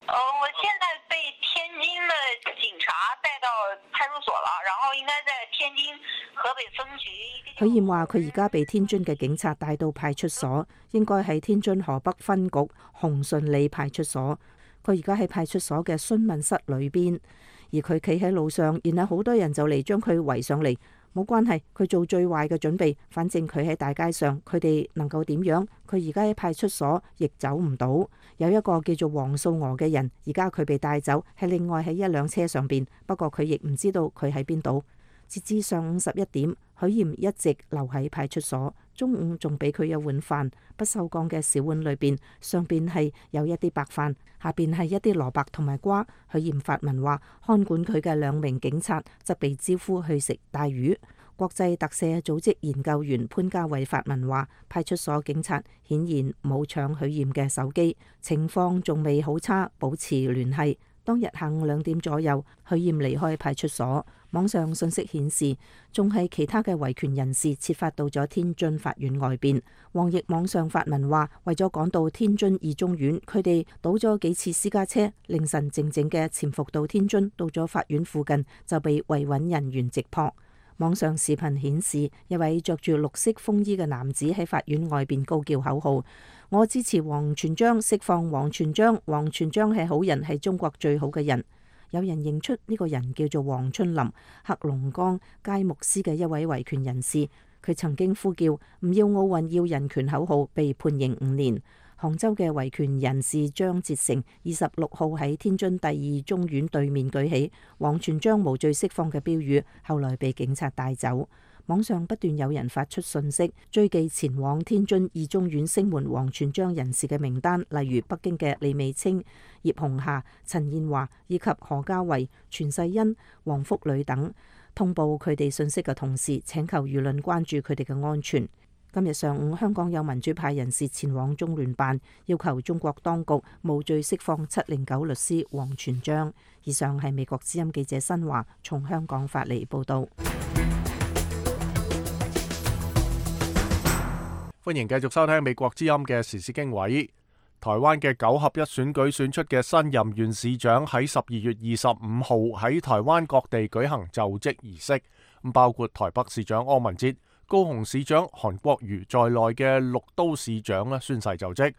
呃，我現在被天津的警察帶到派出所了，然後應該在天津河北分局。許艷話：佢而家被天津嘅警察帶到派出所，應該喺天津河北分局紅順里派出所。佢而家喺派出所嘅詢問室裏邊，而佢企喺路上，然後好多人就嚟將佢圍上嚟。冇關係，佢做最壞嘅準備。反正佢喺大街上，佢哋能夠點樣？佢而家喺派出所亦走唔到。有一個叫做黃素娥嘅人，而家佢被帶走，係另外喺一輛車上邊。不過佢亦唔知道佢喺邊度。截至上午十一點，許艷一直留喺派出所。中午仲俾佢一碗飯，不鏽鋼嘅小碗裏邊，上邊係有一啲白飯，下邊係一啲蘿蔔同埋瓜。許艷發文話，看管佢嘅兩名警察則被招呼去食帶魚。國際特赦組織研究員潘家偉發文話，派出所警察顯然冇搶許艷嘅手機，情況仲未好差，保持聯繫。當日下午兩點左右，許艷離開派出所。網上信息顯示，仲係其他嘅維權人士設法到咗天津法院外邊。王毅網上發文話，為咗趕到天津二中院，佢哋倒咗幾次私家車，凌晨靜靜嘅潛伏到天津，到咗法院附近就被維穩人員直撲。網上視頻顯示，一位着住綠色風衣嘅男子喺法院外邊高叫口號：我支持王全璋，釋放王全璋，王全璋係好人，係中國最好嘅人。有人認出呢個人叫做黃春林，黑龍江佳木斯嘅一位維權人士。佢曾經呼叫唔要奧運要人權口號，被判刑五年。杭州嘅維權人士張哲成二十六號喺天津第二中院對面舉起王全璋無罪釋放嘅標語，後來被警察帶走。網上不斷有人發出信息，追記前往天津二中院聲援王全璋人士嘅名單，例如北京嘅李美清、葉紅霞、陳燕華以及何家維、全世欣、黃福磊等。通報佢哋信息嘅同時，請求輿論關注佢哋嘅安全。今日上午，香港有民主派人士前往中聯辦，要求中國當局無罪釋放七零九律師王全璋。以上係美國之音記者新華從香港發嚟報導。歡迎繼續收聽美國之音嘅時事經緯。台灣嘅九合一選舉選出嘅新任縣市長喺十二月二十五號喺台灣各地舉行就職儀式，咁包括台北市長柯文哲、高雄市長韓國瑜在內嘅六都市長咧宣誓就職。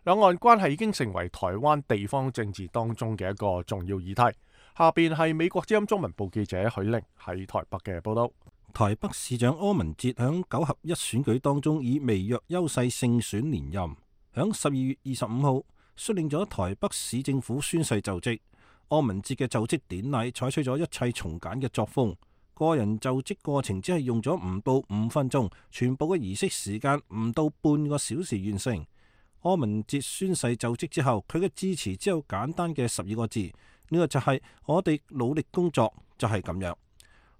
兩岸關係已經成為台灣地方政治當中嘅一個重要議題。下邊係美國之音中文部記者許玲喺台北嘅報道。台北市長柯文哲響九合一選舉當中以微弱優勢勝選連任，響十二月二十五號率領咗台北市政府宣誓就職。柯文哲嘅就職典禮採取咗一切從簡嘅作風，個人就職過程只係用咗唔到五分鐘，全部嘅儀式時間唔到半個小時完成。柯文哲宣誓就職之後，佢嘅致辭只有簡單嘅十二個字，呢個就係我哋努力工作，就係咁樣。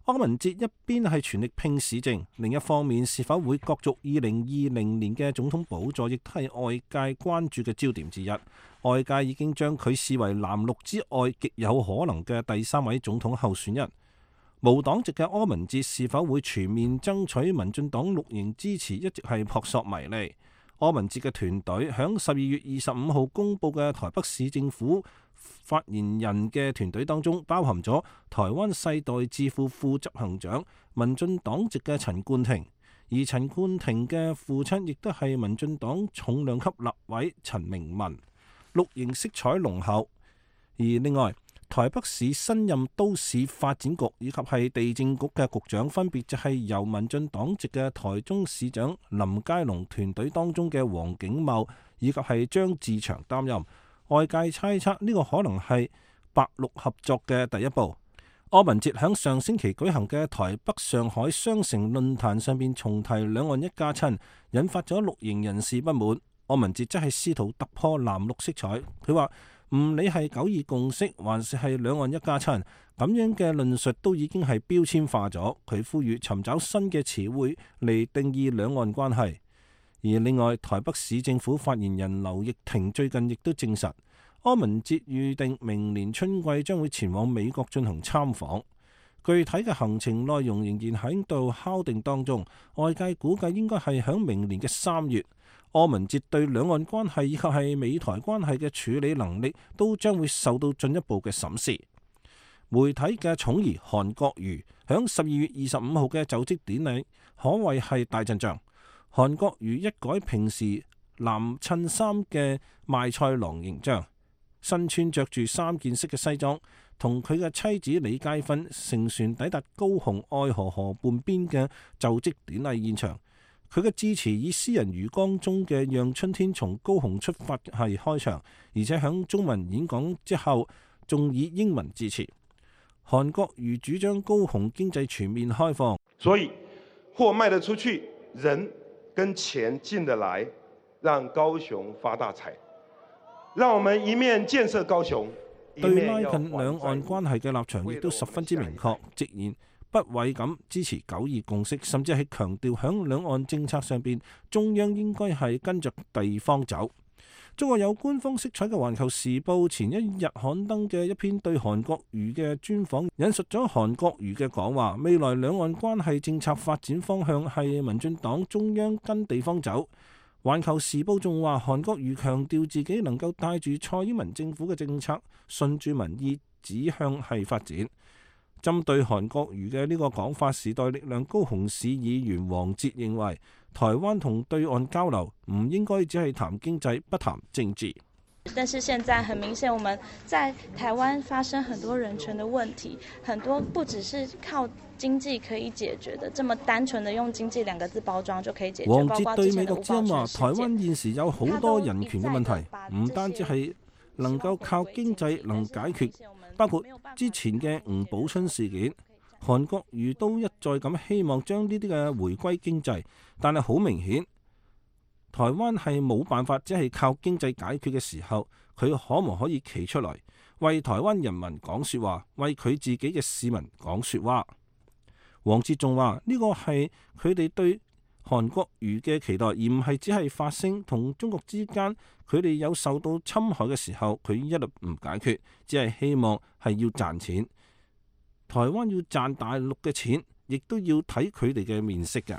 柯文哲一邊係全力拼市政，另一方面是否會角逐二零二零年嘅總統寶座，亦都係外界關注嘅焦點之一。外界已經將佢視為藍綠之外極有可能嘅第三位總統候選人。無黨籍嘅柯文哲是否會全面爭取民進黨綠營支持，一直係撲朔迷離。柯文哲嘅團隊響十二月二十五號公佈嘅台北市政府發言人嘅團隊當中，包含咗台灣世代智庫副執行長民進黨籍嘅陳冠廷，而陳冠廷嘅父親亦都係民進黨重量級立委陳明文，綠營色彩濃厚。而另外，台北市新任都市發展局以及係地政局嘅局長，分別就係由民進黨籍嘅台中市長林佳龍團隊當中嘅黃景茂以及係張志祥擔任。外界猜測呢個可能係白綠合作嘅第一步。柯文哲喺上星期舉行嘅台北上海雙城論壇上邊重提兩岸一家親，引發咗綠營人士不滿。柯文哲則係試圖突破藍綠色彩，佢話唔理係九二共識還是係兩岸一家親，咁樣嘅論述都已經係標籤化咗。佢呼籲尋找新嘅詞彙嚟定義兩岸關係。而另外，台北市政府發言人劉奕霆最近亦都證實，柯文哲預定明年春季將會前往美國進行參訪。具體嘅行程內容仍然喺度敲定當中，外界估計應該係響明年嘅三月。柯文哲對兩岸關係以及係美台關係嘅處理能力都將會受到進一步嘅審視。媒體嘅寵兒韓國瑜響十二月二十五號嘅就職典禮可謂係大陣仗。韓國瑜一改平時藍襯衫嘅賣菜郎形象，身穿着住三件式嘅西裝，同佢嘅妻子李佳芬乘船抵達高雄愛河河畔邊嘅就職典禮現場。佢嘅致辭以詩人余光中嘅《讓春天從高雄出發》係開場，而且響中文演講之後，仲以英文致辭。韓國瑜主張高雄經濟全面開放，所以貨賣得出去，人跟錢進得來，讓高雄發大財。讓我們一面建設高雄，對拉近兩岸關係嘅立場亦都十分之明確，直言不諱咁支持九二共識，甚至係強調響兩岸政策上邊，中央應該係跟着地方走。中國有官方色彩嘅《環球時報》前一日刊登嘅一篇對韓國瑜嘅專訪，引述咗韓國瑜嘅講話，未來兩岸關係政策發展方向係民進黨中央跟地方走。《環球時報》仲話，韓國瑜強調自己能夠帶住蔡英文政府嘅政策，順住民意指向係發展。針對韓國瑜嘅呢個講法，時代力量高雄市議員黃捷認為，台灣同對岸交流唔應該只係談經濟，不談政治。但是現在很明顯，我們在台灣發生很多人權的問題，很多不只是靠經濟可以解決的，這麼單純的用經濟兩個字包裝就可以解決。黃捷對美國之音話，台灣現時有好多人權嘅問題，唔單止係能夠靠經濟能解決，包括之前嘅吳寶春事件。韓國瑜都一再咁希望將呢啲嘅回歸經濟，但係好明顯，台灣係冇辦法只係靠經濟解決嘅時候，佢可唔可以企出來為台灣人民講說話，為佢自己嘅市民講說話？黃捷仲話呢個係佢哋對韓國瑜嘅期待，而唔係只係發聲。同中國之間佢哋有受到侵害嘅時候，佢一律唔解決，只係希望係要賺錢。台灣要賺大陸嘅錢，亦都要睇佢哋嘅面色嘅。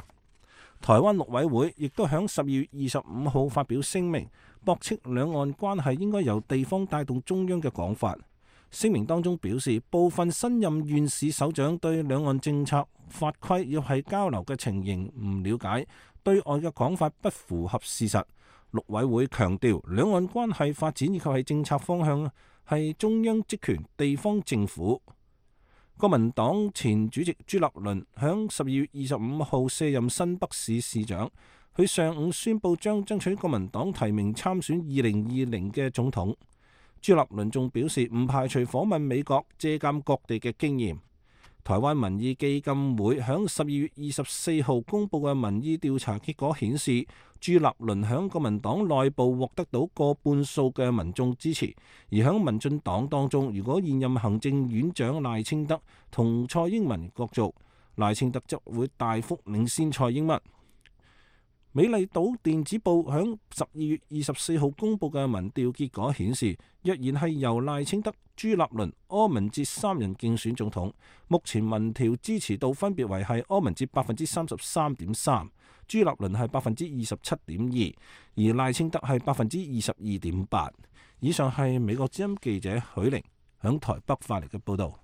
台灣陸委會亦都響十二月二十五號發表聲明，駁斥兩岸關係應該由地方帶動中央嘅講法。聲明當中表示，部分新任縣市首長對兩岸政策法規要係交流嘅情形唔了解，對外嘅講法不符合事實。陸委會強調，兩岸關係發展以及係政策方向係中央職權，地方政府。國民黨前主席朱立倫響十二月二十五號卸任新北市市長，佢上午宣布將爭取國民黨提名參選二零二零嘅總統。朱立倫仲表示唔排除訪問美國，借鑑各地嘅經驗。台灣民意基金會響十二月二十四號公布嘅民意調查結果顯示，朱立倫響國民黨內部獲得到過半數嘅民眾支持，而響民進黨當中，如果現任行政院長賴清德同蔡英文角逐，賴清德則會大幅領先蔡英文。美麗島電子報響十二月二十四號公布嘅民調結果顯示，若然係由賴清德、朱立倫、柯文哲三人競選總統，目前民調支持度分別為係柯文哲百分之三十三點三，朱立倫係百分之二十七點二，而賴清德係百分之二十二點八。以上係美國之音記者許玲響台北發嚟嘅報道。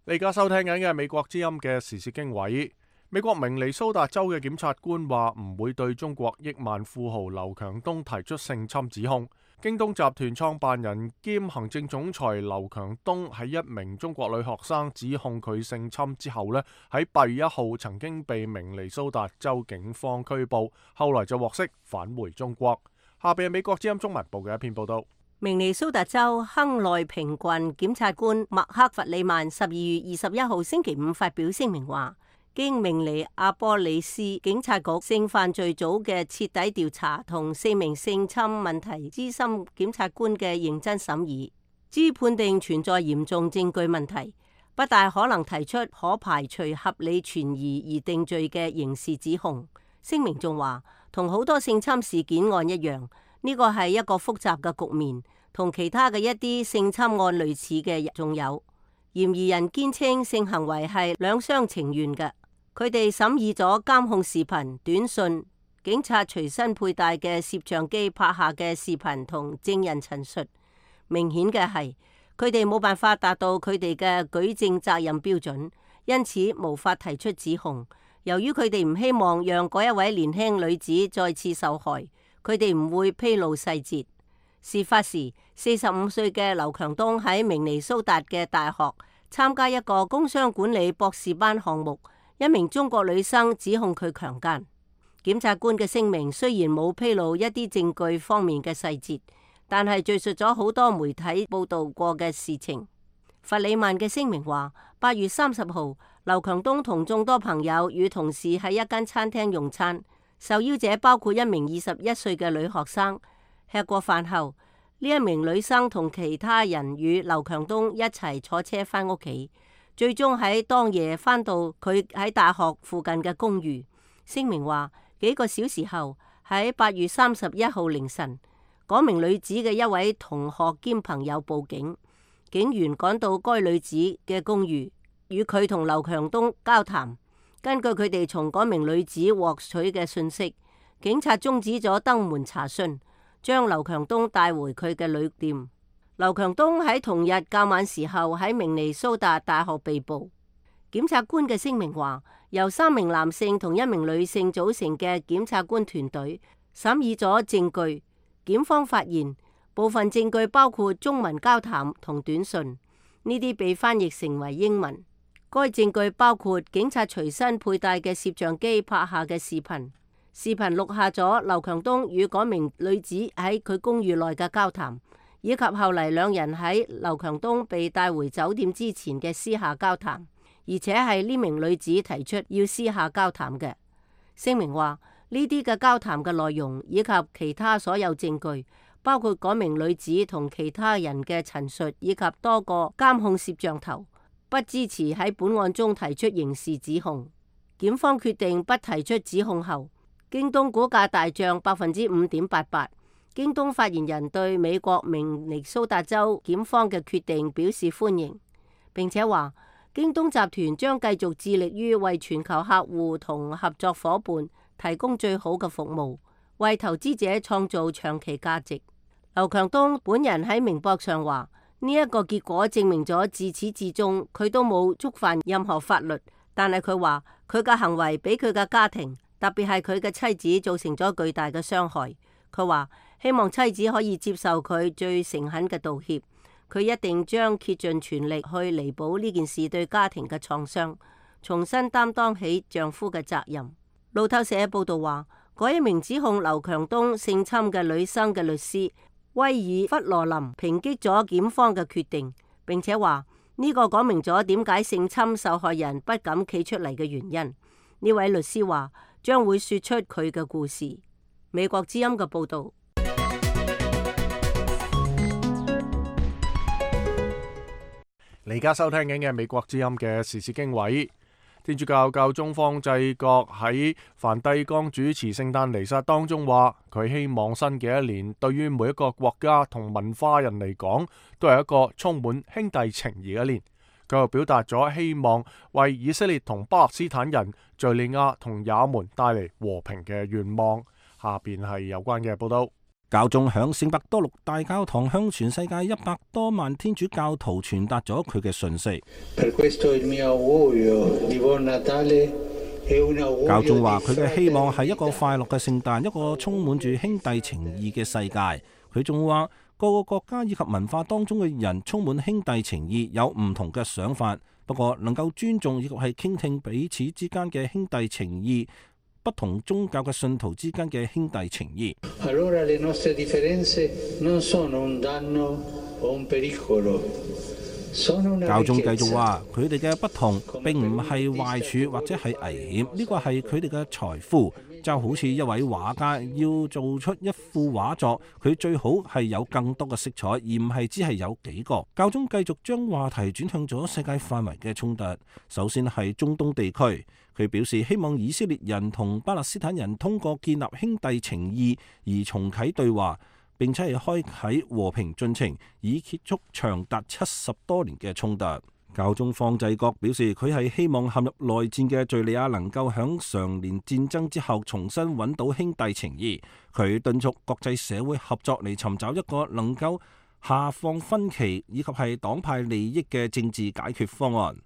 你而家收聽緊嘅係美國之音嘅時事經緯。美國明尼蘇達州嘅檢察官話唔會對中國億萬富豪劉強東提出性侵指控。京東集團創辦人兼行政總裁劉強東喺一名中國女學生指控佢性侵之後呢，喺八月一號曾經被明尼蘇達州警方拘捕，後來就獲釋返回中國。下邊係美國之音中文部嘅一篇報道。明尼蘇達州亨內平郡檢察官麥克弗里曼十二月二十一號星期五發表聲明話，經明尼阿波里斯警察局性犯罪組嘅徹底調查同四名性侵問題資深檢察官嘅認真審議，經判定存在嚴重證據問題，不大可能提出可排除合理存疑而定罪嘅刑事指控。聲明仲話，同好多性侵事件案一樣，呢個係一個複雜嘅局面，同其他嘅一啲性侵案類似嘅仲有。嫌疑人堅稱性行為係兩廂情願嘅。佢哋審議咗監控視頻、短信、警察隨身佩戴嘅攝像機拍下嘅視頻同證人陳述。明顯嘅係，佢哋冇辦法達到佢哋嘅舉證責任標準，因此無法提出指控。由於佢哋唔希望讓嗰一位年輕女子再次受害，佢哋唔會披露細節。事發時，四十五歲嘅劉強東喺明尼蘇達嘅大學參加一個工商管理博士班項目，一名中國女生指控佢強姦。檢察官嘅聲明雖然冇披露一啲證據方面嘅細節，但係敘述咗好多媒體報道過嘅事情。弗里曼嘅聲明話，八月三十號，劉強東同眾多朋友與同事喺一間餐廳用餐，受邀者包括一名二十一歲嘅女學生。吃過飯後，呢一名女生同其他人與劉強東一齊坐車返屋企，最終喺當夜返到佢喺大學附近嘅公寓。聲明話，幾個小時後喺八月三十一號凌晨，嗰名女子嘅一位同學兼朋友報警，警員趕到該女子嘅公寓，與佢同劉強東交談。根據佢哋從嗰名女子獲取嘅信息，警察終止咗登門查詢，將劉強東帶回佢嘅旅店。劉強東喺同日較晚時候喺明尼蘇達大學被捕。檢察官嘅聲明話，由三名男性同一名女性組成嘅檢察官團隊審議咗證據。檢方發現部分證據包括中文交談同短信，呢啲被翻譯成為英文。該證據包括警察隨身佩戴嘅攝像機拍下嘅視頻，視頻錄下咗劉強東與嗰名女子喺佢公寓內嘅交談，以及後嚟兩人喺劉強東被帶回酒店之前嘅私下交談，而且係呢名女子提出要私下交談嘅。聲明話，呢啲嘅交談嘅內容以及其他所有證據，包括嗰名女子同其他人嘅陳述，以及多個監控攝像頭，不支持喺本案中提出刑事指控。檢方決定不提出指控後，京東股價大漲百分之五點八八。京東發言人對美國明尼蘇達州檢方嘅決定表示歡迎，並且話京東集團將繼續致力於為全球客戶同合作夥伴提供最好嘅服務，為投資者創造長期價值。劉強東本人喺明博上話，呢一個結果證明咗自始至終佢都冇觸犯任何法律，但係佢話佢嘅行為俾佢嘅家庭，特別係佢嘅妻子造成咗巨大嘅傷害。佢話希望妻子可以接受佢最誠懇嘅道歉，佢一定將竭盡全力去彌補呢件事對家庭嘅創傷，重新擔當起丈夫嘅責任。路透社報道話，嗰一名指控劉強東性侵嘅女生嘅律師威爾弗羅林抨擊咗檢方嘅決定，並且話呢個講明咗點解性侵受害人不敢企出嚟嘅原因。呢位律師話將會說出佢嘅故事。美國之音嘅報道。你而家收聽緊嘅美國之音嘅時事經緯。天主教教宗方濟各喺梵蒂岡主持聖誕彌撒當中話，佢希望新嘅一年對於每一個國家同文化人嚟講，都係一個充滿兄弟情誼嘅一年。佢又表達咗希望為以色列同巴勒斯坦人、敘利亞同也門帶嚟和平嘅願望。下邊係有關嘅報道。教宗響聖伯多祿大教堂向全世界一百多萬天主教徒傳達咗佢嘅訊息。教宗話佢嘅希望係一個快樂嘅聖誕，一個充滿住兄弟情誼嘅世界。佢仲話各個國家以及文化當中嘅人充滿兄弟情誼，有唔同嘅想法，不過能夠尊重以及係傾聽彼此之間嘅兄弟情誼，不同宗教嘅信徒之間嘅兄弟情誼。教宗繼續話，佢哋嘅不同並唔係壞處或者係危險，呢個係佢哋嘅財富。就好似一位畫家要做出一幅畫作，佢最好係有更多嘅色彩，而唔係只係有幾個。教宗繼續將話題轉向咗世界範圍嘅衝突，首先係中東地區。佢表示希望以色列人同巴勒斯坦人通過建立兄弟情誼而重啟對話，並且係開啟和平進程，以結束長達七十多年嘅衝突。教宗方濟各表示，佢係希望陷入內戰嘅敘利亞能夠響常年戰爭之後重新揾到兄弟情誼。佢敦促國際社會合作嚟尋找一個能夠下放分歧以及係黨派利益嘅政治解決方案。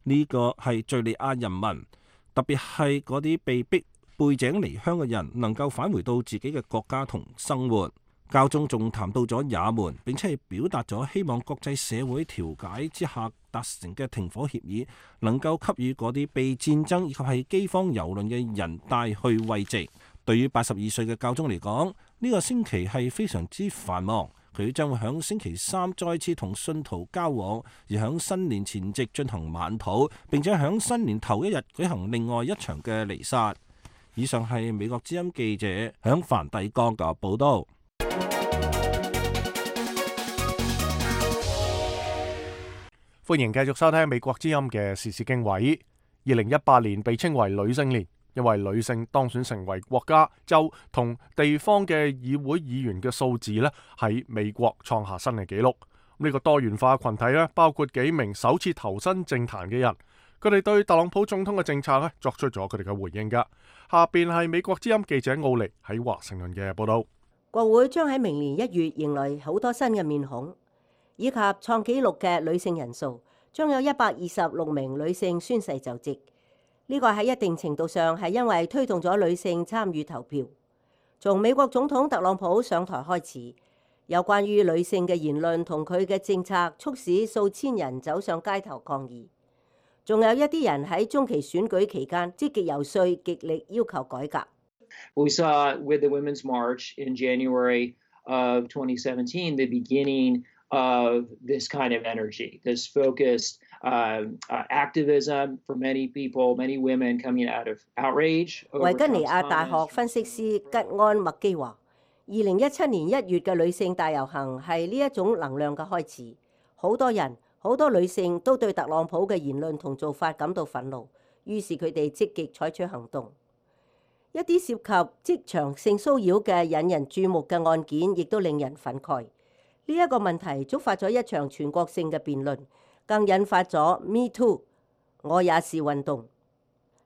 呢個係敘利亞人民，特別係嗰啲被逼背井離鄉嘅人，能夠返回到自己嘅國家同生活。教宗仲談到咗也門，並且係表達咗希望國際社會調解之下達成嘅停火協議，能夠給予嗰啲被戰爭以及係饑荒蹂躪嘅人帶去慰藉。對於八十二歲嘅教宗嚟講，呢個星期係非常之繁忙，佢將會響星期三再次同信徒交往，而響新年前夕進行晚禱，並且響新年頭一日舉行另外一場嘅彌撒。以上係美國之音記者響梵蒂岡嘅報道。歡迎繼續收聽美國之音嘅時事經緯。二零一八年被稱為女性年，因為女性當選成為國家、州同地方嘅議會議員嘅數字呢，喺美國創下新嘅紀錄。呢個多元化群體呢，包括幾名首次投身政壇嘅人，佢哋對特朗普總統嘅政策呢作出咗佢哋嘅回應㗎。下邊係美國之音記者奧尼喺華盛頓嘅報導。國會將喺明年一月迎來好多新嘅面孔，以及創紀錄嘅女性人數，將有一百二十六名女性宣誓就職。呢個喺一定程度上係因為推動咗女性參與投票。從美國總統特朗普上台開始，有關於女性嘅言論同佢嘅政策，促使數千人走上街頭抗議。仲有一啲人喺中期選舉期間積極遊說，極力要求改革。We saw with the Women's March in January of twenty seventeen the beginning of this kind of energy, this focused uh, uh, activism for many people, many women coming out of outrage. 維吉尼亞大學分析師吉安麥基話，二零一七年一月嘅女性大遊行係呢一種能量嘅開始。好多人、好多女性都對特朗普嘅言論同做法感到憤怒，於是佢哋積極採取行動。一啲涉及職場性騷擾嘅引人注目嘅案件，亦都令人憤慨。呢一個問題觸發咗一場全國性嘅辯論，更引發咗 Me Too 我也是運動。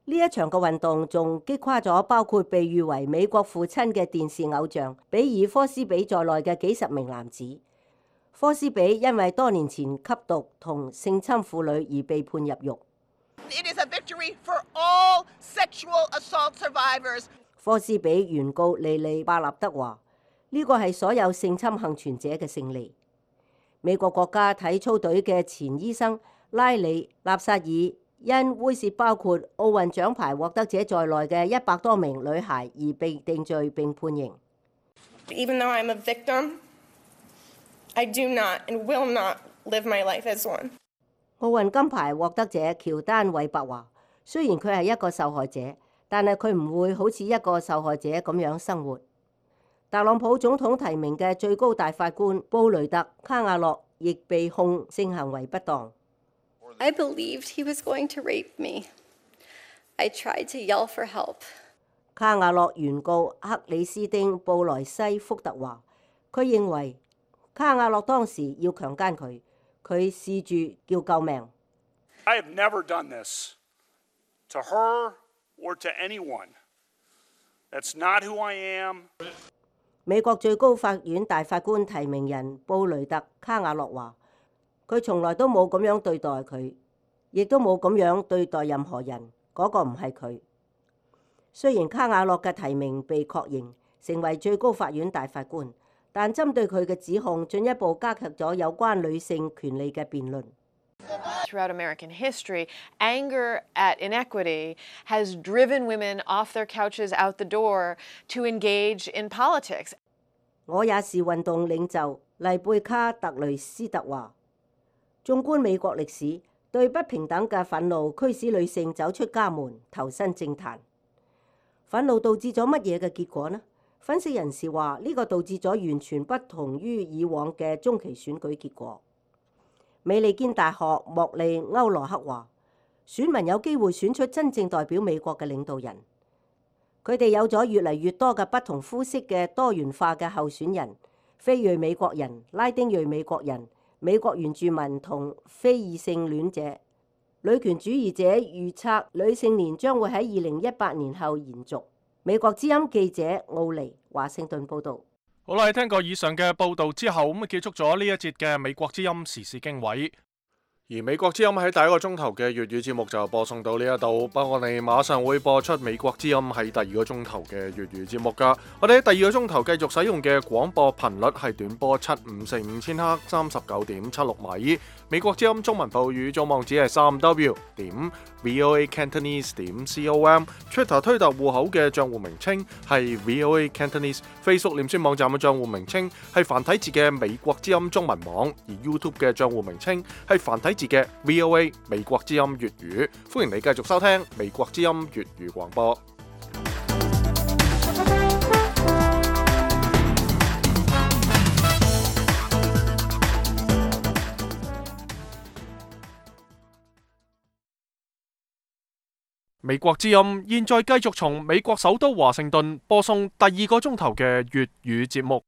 呢一場嘅運動仲擊垮咗包括被譽為美國父親嘅電視偶像比爾科斯比在內嘅幾十名男子。科斯比因為多年前吸毒同性侵婦女而被判入獄。It is a victory for all sexual assault survivors. 科斯比原告莉莉巴納德話：呢個係所有性侵幸存者嘅勝利。美國國家體操隊嘅前醫生拉里納薩爾因猥褻包括奧運獎牌獲得者在內嘅一百多名女孩而被定罪並判刑。Even though I'm a victim, I do not and will not live my life as one. 奧運金牌獲得者喬丹韋伯話：雖然佢係一個受害者，但係佢唔會好似一個受害者咁樣生活。特朗普總統提名嘅最高大法官布雷特卡瓦諾亦被控性行為不當。I believed he was going to rape me. I tried to yell for help. 卡瓦諾原告克里斯丁布萊西福特話：佢認為卡瓦諾當時要強姦佢。佢試住叫救命。I have never done this to her or to anyone. That's not who I am. 美國最高法院大法官提名人布雷特卡瓦諾話：佢從來都冇咁樣對待佢，亦都冇咁樣對待任何人。嗰個唔係佢。雖然卡瓦諾嘅提名被確認成為最高法院大法官，但針對佢嘅指控，進一步加劇咗有關女性權利嘅辯論。Throughout American history, anger at inequity has driven women off their couches out the door to engage in politics. 我也是運動領袖麗貝卡特雷斯特話：縱觀美國歷史，對不平等嘅憤怒驅使女性走出家門，投身政壇。憤怒導致咗乜嘢嘅結果呢？分析人士話：呢個導致咗完全不同於以往嘅中期選舉結果。美利堅大學莫利歐羅克話：選民有機會選出真正代表美國嘅領導人。佢哋有咗越嚟越多嘅不同膚色嘅多元化嘅候選人，非裔美國人、拉丁裔美國人、美國原住民同非異性戀者。女權主義者預測女性年將會喺二零一八年後延續。美國之音記者奧尼華盛頓報道。好啦，聽過以上嘅報道之後，咁啊結束咗呢一節嘅美國之音時事經緯。而美國之音喺第一個鐘頭嘅粵語節目就播送到呢一度，不過我哋馬上會播出美國之音喺第二個鐘頭嘅粵語節目噶。我哋喺第二個鐘頭繼續使用嘅廣播頻率係短波七五四五千赫三十九點七六米。美國之音中文部語組網址係三 w 點 voa cantonese 點 com。Twitter 推特戶口嘅賬戶名稱係 voa cantonese。Facebook 臉書網站嘅賬戶名稱係繁體字嘅美國之音中文網，而 YouTube 嘅賬戶名稱係繁體字嘅 V O A 美國之音粵語。歡迎你繼續收聽美國之音粵語廣播。美國之音現在繼續從美國首都華盛頓播送第二個鐘頭嘅粵語節目。